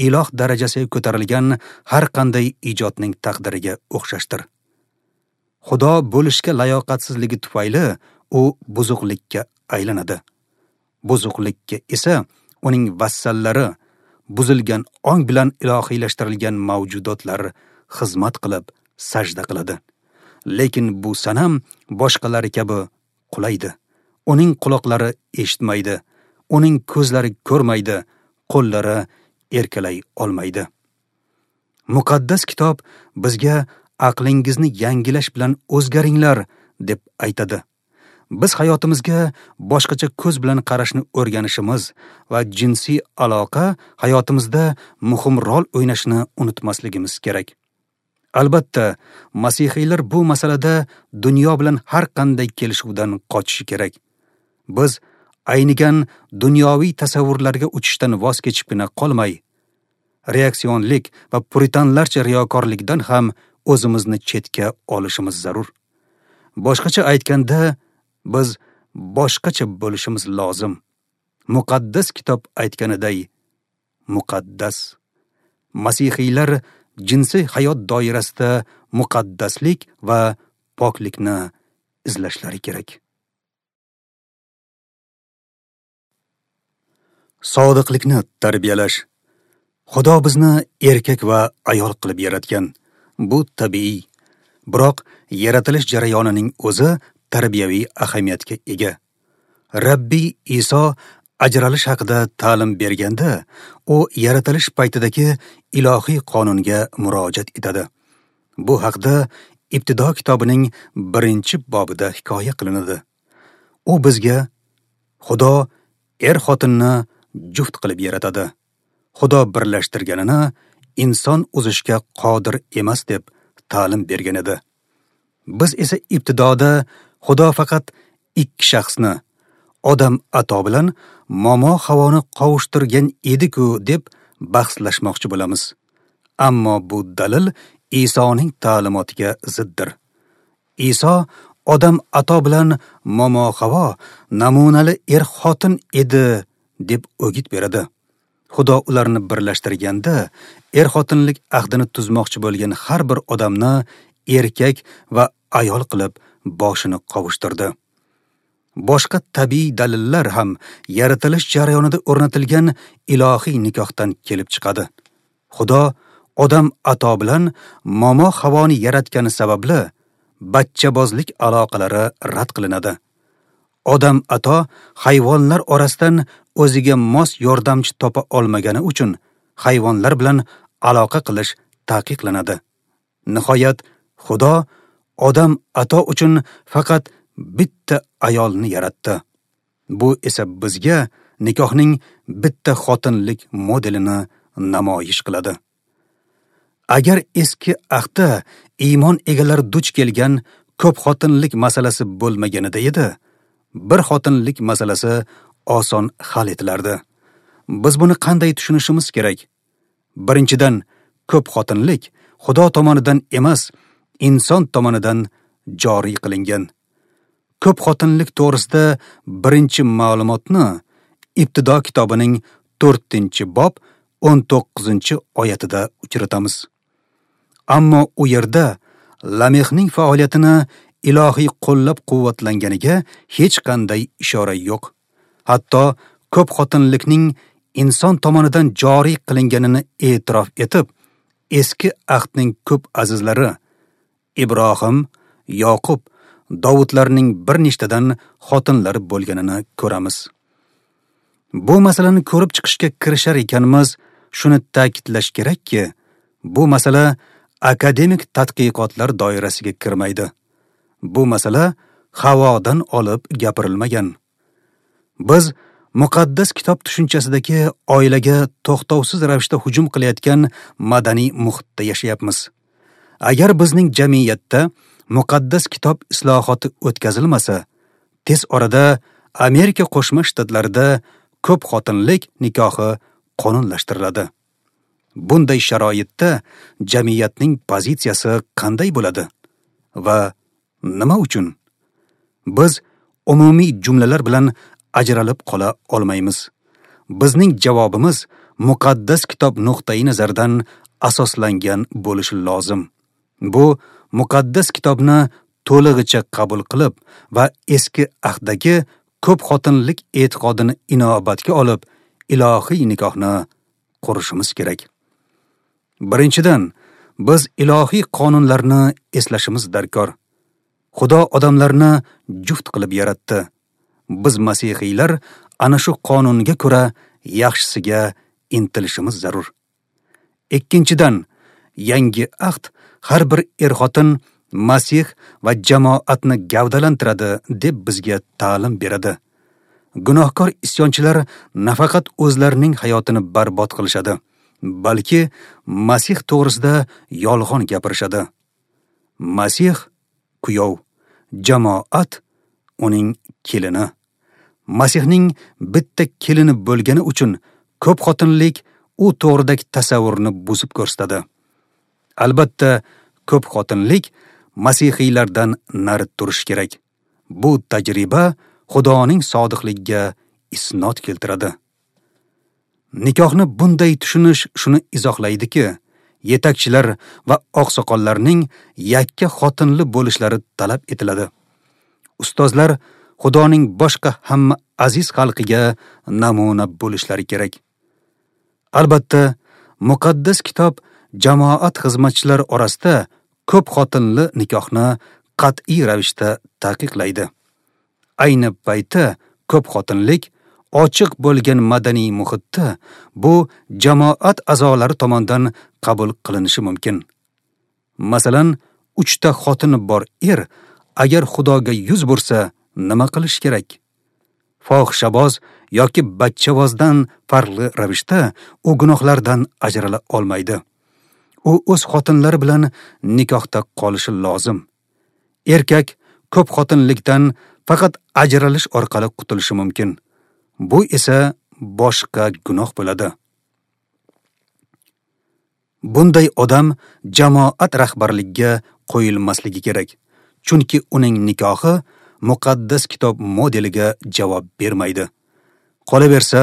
iloh darajasiga ko'tarilgan har qanday ijodning taqdiriga o'xshashdir. Xudo bo'lishga layoqatsizligi tufayli u buzuqlikka aylanadi. Buzuqlikka esa uning vassallari, buzilgan ong bilan ilohiylashtirilgan mavjudotlar xizmat qilib sajda qiladi. Lekin bu sanam boshqalari kabi qulaydi. Uning quloqlari eshitmaydi, uning ko'zlari ko'rmaydi, qo'llari erkalay olmaydi. Muqaddas kitob bizga aqlingizni yangilash bilan o'zgaringlar deb aytadi. Biz hayotimizga boshqacha ko'z bilan qarashni o'rganishimiz va jinsiy aloqa hayotimizda muhim rol o'ynashini unutmasligimiz kerak. Albatta, masihiylar bu masalada dunyo bilan har qanday kelishuvdan qochishi kerak. Biz aynigan dunyoviy tasavvurlarga uchishdan voz kechibgina qolmay, reaksionlik va puritanlarcha riyokorlikdan ham o'zimizni chetga olishimiz zarur. Boshqacha aytganda, biz boshqacha bo'lishimiz lozim. Muqaddas kitob aytganiday, muqaddas. Masihiylar jinsiy hayot doirasida muqaddaslik va poklikni izlashlari kerak. Sodiqlikni tarbiyalash. Xudo bizni erkak va ayol qilib yaratgan. Bu tabiiy. Biroq yaratilish jarayonining o'zi tarbiyaviy ahamiyatga ega. Rabbiy Iso ajralish haqida ta'lim berganda, u yaratilish paytidagi ilohiy qonunga murojaat etadi. Bu haqda Ibtido kitobining 1-bobida hikoya qilinadi. U bizga Xudo er-xotinni juft qilib yaratadi. Xudo birlashtirganini inson uzishga qodir emas deb ta'lim bergan edi. Biz esa ibtidoda Xudo faqat ikki shaxsni, Odam ato bilan Momo Havoni qovushtirgan edi-ku deb bahslashmoqchi bo'lamiz. Ammo bu dalil Isoning ta'limotiga ziddir. Iso Odam ato bilan Momo Havo namunali er-xotin edi deb o'git beradi. Xudo ularni birlashtirganda, er-xotinlik ahdini tuzmoqchi bo'lgan har bir odamni erkak va ayol qilib boshini qovushtirdi. Boshqa tabiiy dalillar ham yaratilish jarayonida o'rnatilgan ilohiy nikohdan kelib chiqadi. Xudo Odam ato bilan Momo Havoni yaratgani sababli bachchabozlik aloqalari rad qilinadi. Odam ato hayvonlar orasidan o'ziga mos yordamchi topa olmagani uchun hayvonlar bilan aloqa qilish taqiqlanadi. Nihoyat Xudo Odam ato uchun faqat bitta ayolni yaratdi. Bu esa bizga nikohning bitta xotinlik modelini namoyish qiladi. Agar eski ahdda iymon egalari duch kelgan ko'p xotinlik masalasi bo'lmaganida edi, bir xotinlik masalasi oson hal etilardi. Biz buni qanday tushunishimiz kerak? Birinchidan, ko'p xotinlik Xudo tomonidan emas, inson tomonidan joriy qilingan. Ko'p xotinlik to'g'risida birinchi ma'lumotni Ibtido kitobining 4-bob 19-oyatida uchratamiz. Ammo u yerda Lamehning faoliyatini ilohiy qo'llab-quvvatlanganiga hech qanday ishora yo'q. Hatto ko'p xotinlikning inson tomonidan joriy qilinganini e'tirof etib, eski ahdning ko'p azizlari Ibrohim, Yoqub, Davudlarning bir nechtadan xotinlari bo'lganini ko'ramiz. Bu masalani ko'rib chiqishga kirishar ekanmiz, shuni ta'kidlash kerakki, bu masala akademik tadqiqotlar doirasiga kirmaydi. Bu masala havodan olib gapirilmagan. Biz muqaddas kitob tushunchasidagi oilaga to'xtovsiz ravishda hujum qilayotgan madaniy muhitda yashayapmiz. Agar bizning jamiyatda muqaddas kitob islohoti o'tkazilmasa, tez orada Amerika Qo'shma Shtatlarida ko'p xotinlik nikohi qonunlashtiriladi. Bunday sharoitda jamiyatning pozitsiyasi qanday bo'ladi va nima uchun? Biz umumiy jumlalar bilan ajralib qola olmaymiz. Bizning javobimiz muqaddas kitob nuqtai nazaridan asoslangan bo'lishi lozim. Bu muqaddas kitobni to'lig'icha qabul qilib va eski ahdagi ko'p xotinlik e'tiqodini inobatga olib, ilohiy nikohni qurishimiz kerak. Birinchidan, biz ilohiy qonunlarni eslashimiz darkor. Xudo odamlarni juft qilib yaratdi. Biz masihiylar ana shu qonunga ko'ra yaxshisiga intilishimiz zarur. Ikkinchidan, yangi ahd har bir er-xotin Masih va jamoatni gavdalantiradi deb bizga ta'lim beradi. Gunohkor isyonchilar nafaqat o'zlarining hayotini barbod qilishadi, balki Masih to'g'risida yolg'on gapirishadi. Masih kuyov, jamoat uning kelini. Masihning bitta kelini bo'lgani uchun ko'p xotinlik u to'g'ridagi tasavvurni buzib ko'rsatadi. Albatta, ko'p xotinlik masihiylardan nari turish kerak. Bu tajriba Xudoning sodiqligiga isnod keltiradi. Nikohni bunday tushunish shuni izohlaydiki, yetakchilar va oqsoqollarning yakka xotinli bo'lishlari talab etiladi. Ustozlar Xudoning boshqa hamma aziz xalqiga namuna bo'lishlari kerak. Albatta, muqaddas kitob jamoat xizmatchilari orasida ko'p xotinli nikohni qat'iy ravishda taqiqlaydi. Ayni paytda ko'p xotinlik ochiq bo'lgan madaniy muhitda bu jamoat a'zolari tomonidan qabul qilinishi mumkin. Masalan, 3 ta xotini bor er agar Xudoga yuz bursa, nima qilish kerak? Fohishaboz yoki bachchavozdan farqli ravishda u gunohlardan ajrala olmaydi. U o'z xotinlari bilan nikohda qolishi lozim. Erkak ko'p xotinlikdan faqat ajralish orqali qutulishi mumkin. Bu esa boshqa gunoh bo'ladi. Bunday odam jamoat rahbarligiga qo'yilmasligi kerak, chunki uning nikohi muqaddas kitob modeliga javob bermaydi. Qolaversa,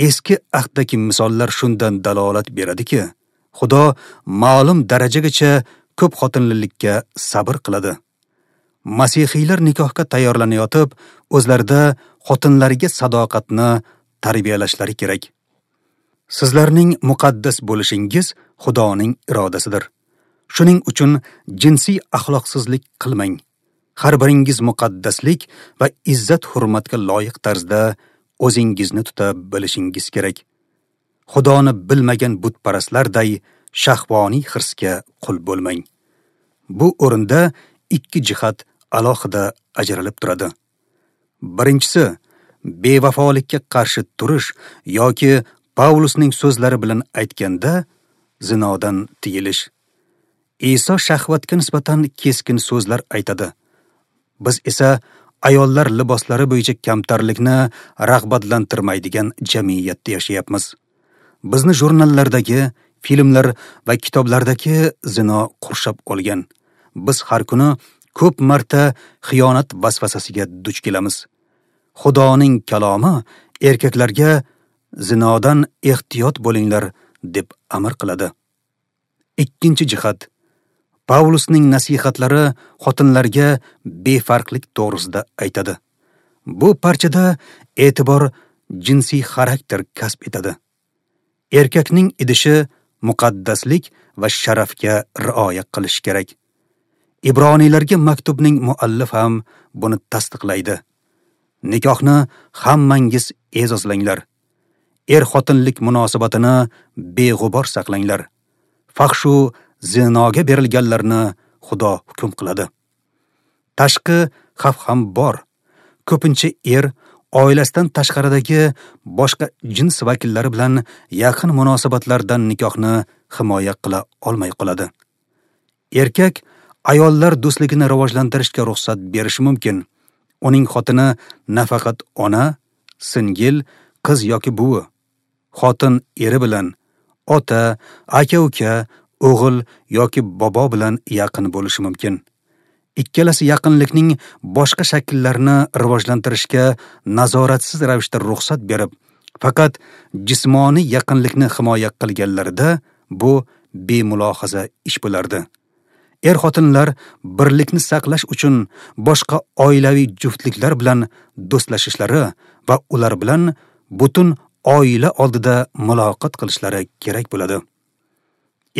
eski ahdagi misollar shundan dalolat beradiki, Xudo ma'lum darajagacha ko'p xotinlilikka sabr qiladi. Masihiylar nikohga tayyorlanayotib, o'zlarida xotinlariga sadoqatni tarbiyalashlari kerak. Sizlarning muqaddas bo'lishingiz Xudoning irodasidir. Shuning uchun jinsiy axloqsizlik qilmang. Har biringiz muqaddaslik va izzat-hurmatga loyiq tarzda o'zingizni tuta bilishingiz kerak. Xudoni bilmagan butparastlarday shahvoniy hirsga qul bo'lmang. Bu o'rinda ikki jihat alohida ajralib turadi. Birinchisi, bevafolikka qarshi turish yoki Pavlusning so'zlari bilan aytganda zinodan tiyilish. Iso shahvatga nisbatan keskin so'zlar aytadi. Biz esa ayollar liboslari bo'yicha kamtarlikni rag'batlantirmaydigan jamiyatda yashayapmiz. Bizni jurnallardagi, filmlar va kitoblardagi zino qurshab olgan. Biz har kuni Ko'p marta xiyonat vasvasasiga duch kelamiz. Xudoning kalomi erkaklarga zinodan ehtiyot bo'linglar deb amr qiladi. Ikkinchi jihat. Pavlusning nasihatlari xotinlarga befarqlik to'g'risida aytadi. Bu parchada e'tibor jinsiy xarakter kasb etadi. Erkakning idishi muqaddaslik va sharafga rioya qilish kerak. Ibroniylarga maktubning muallif ham buni tasdiqlaydi. Nikohni hammangiz e'zozlanglar. Er-xotinlik munosabatini beg'ubor saqlanglar. Fahshu zinoga berilganlarni Xudo hukm qiladi. Tashqi xavf ham bor. Ko'pincha er oilasidan tashqaridagi boshqa jins vakillari bilan yaqin munosabatlardan nikohni himoya qila olmay qoladi. Erkak ayollar do'stligini rivojlantirishga ruxsat berishi mumkin. Uning xotini nafaqat ona, singil, qiz yoki buvi. Xotin eri bilan, ota, aka-uka, o'g'il yoki bobo bilan yaqin bo'lishi mumkin. Ikkalasi yaqinlikning boshqa shakllarini rivojlantirishga nazoratsiz ravishda ruxsat berib, faqat jismoniy yaqinlikni himoya qilganlarida bu bemulohaza ish bo'lardi. Er-xotinlar birlikni saqlash uchun boshqa oilaviy juftliklar bilan do'stlashishlari va ular bilan butun oila oldida muloqot qilishlari kerak bo'ladi.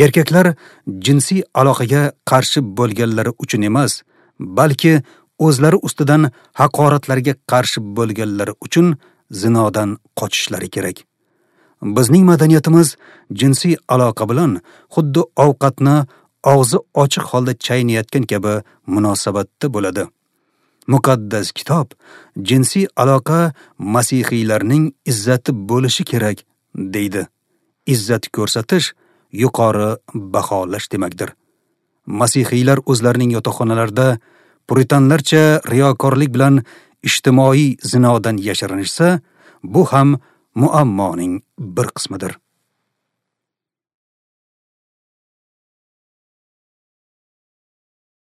Erkaklar jinsiy aloqaga qarshi bo'lganlari uchun emas, balki o'zlari ustidan haqoratlarga qarshi bo'lganlari uchun zinodan qochishlari kerak. Bizning madaniyatimiz jinsiy aloqa bilan xuddi ovqatni og'zi ochiq holda chaynayotgan kabi munosabatda bo'ladi. Muqaddas kitob jinsiy aloqa masihiylarning izzati bo'lishi kerak deydi. Izzat ko'rsatish yuqori baholash demakdir. Masihiylar o'zlarining yotoqxonalarida puritanlarcha riyokorlik bilan ijtimoiy zinodan yashirinishsa, bu ham muammoning bir qismidir.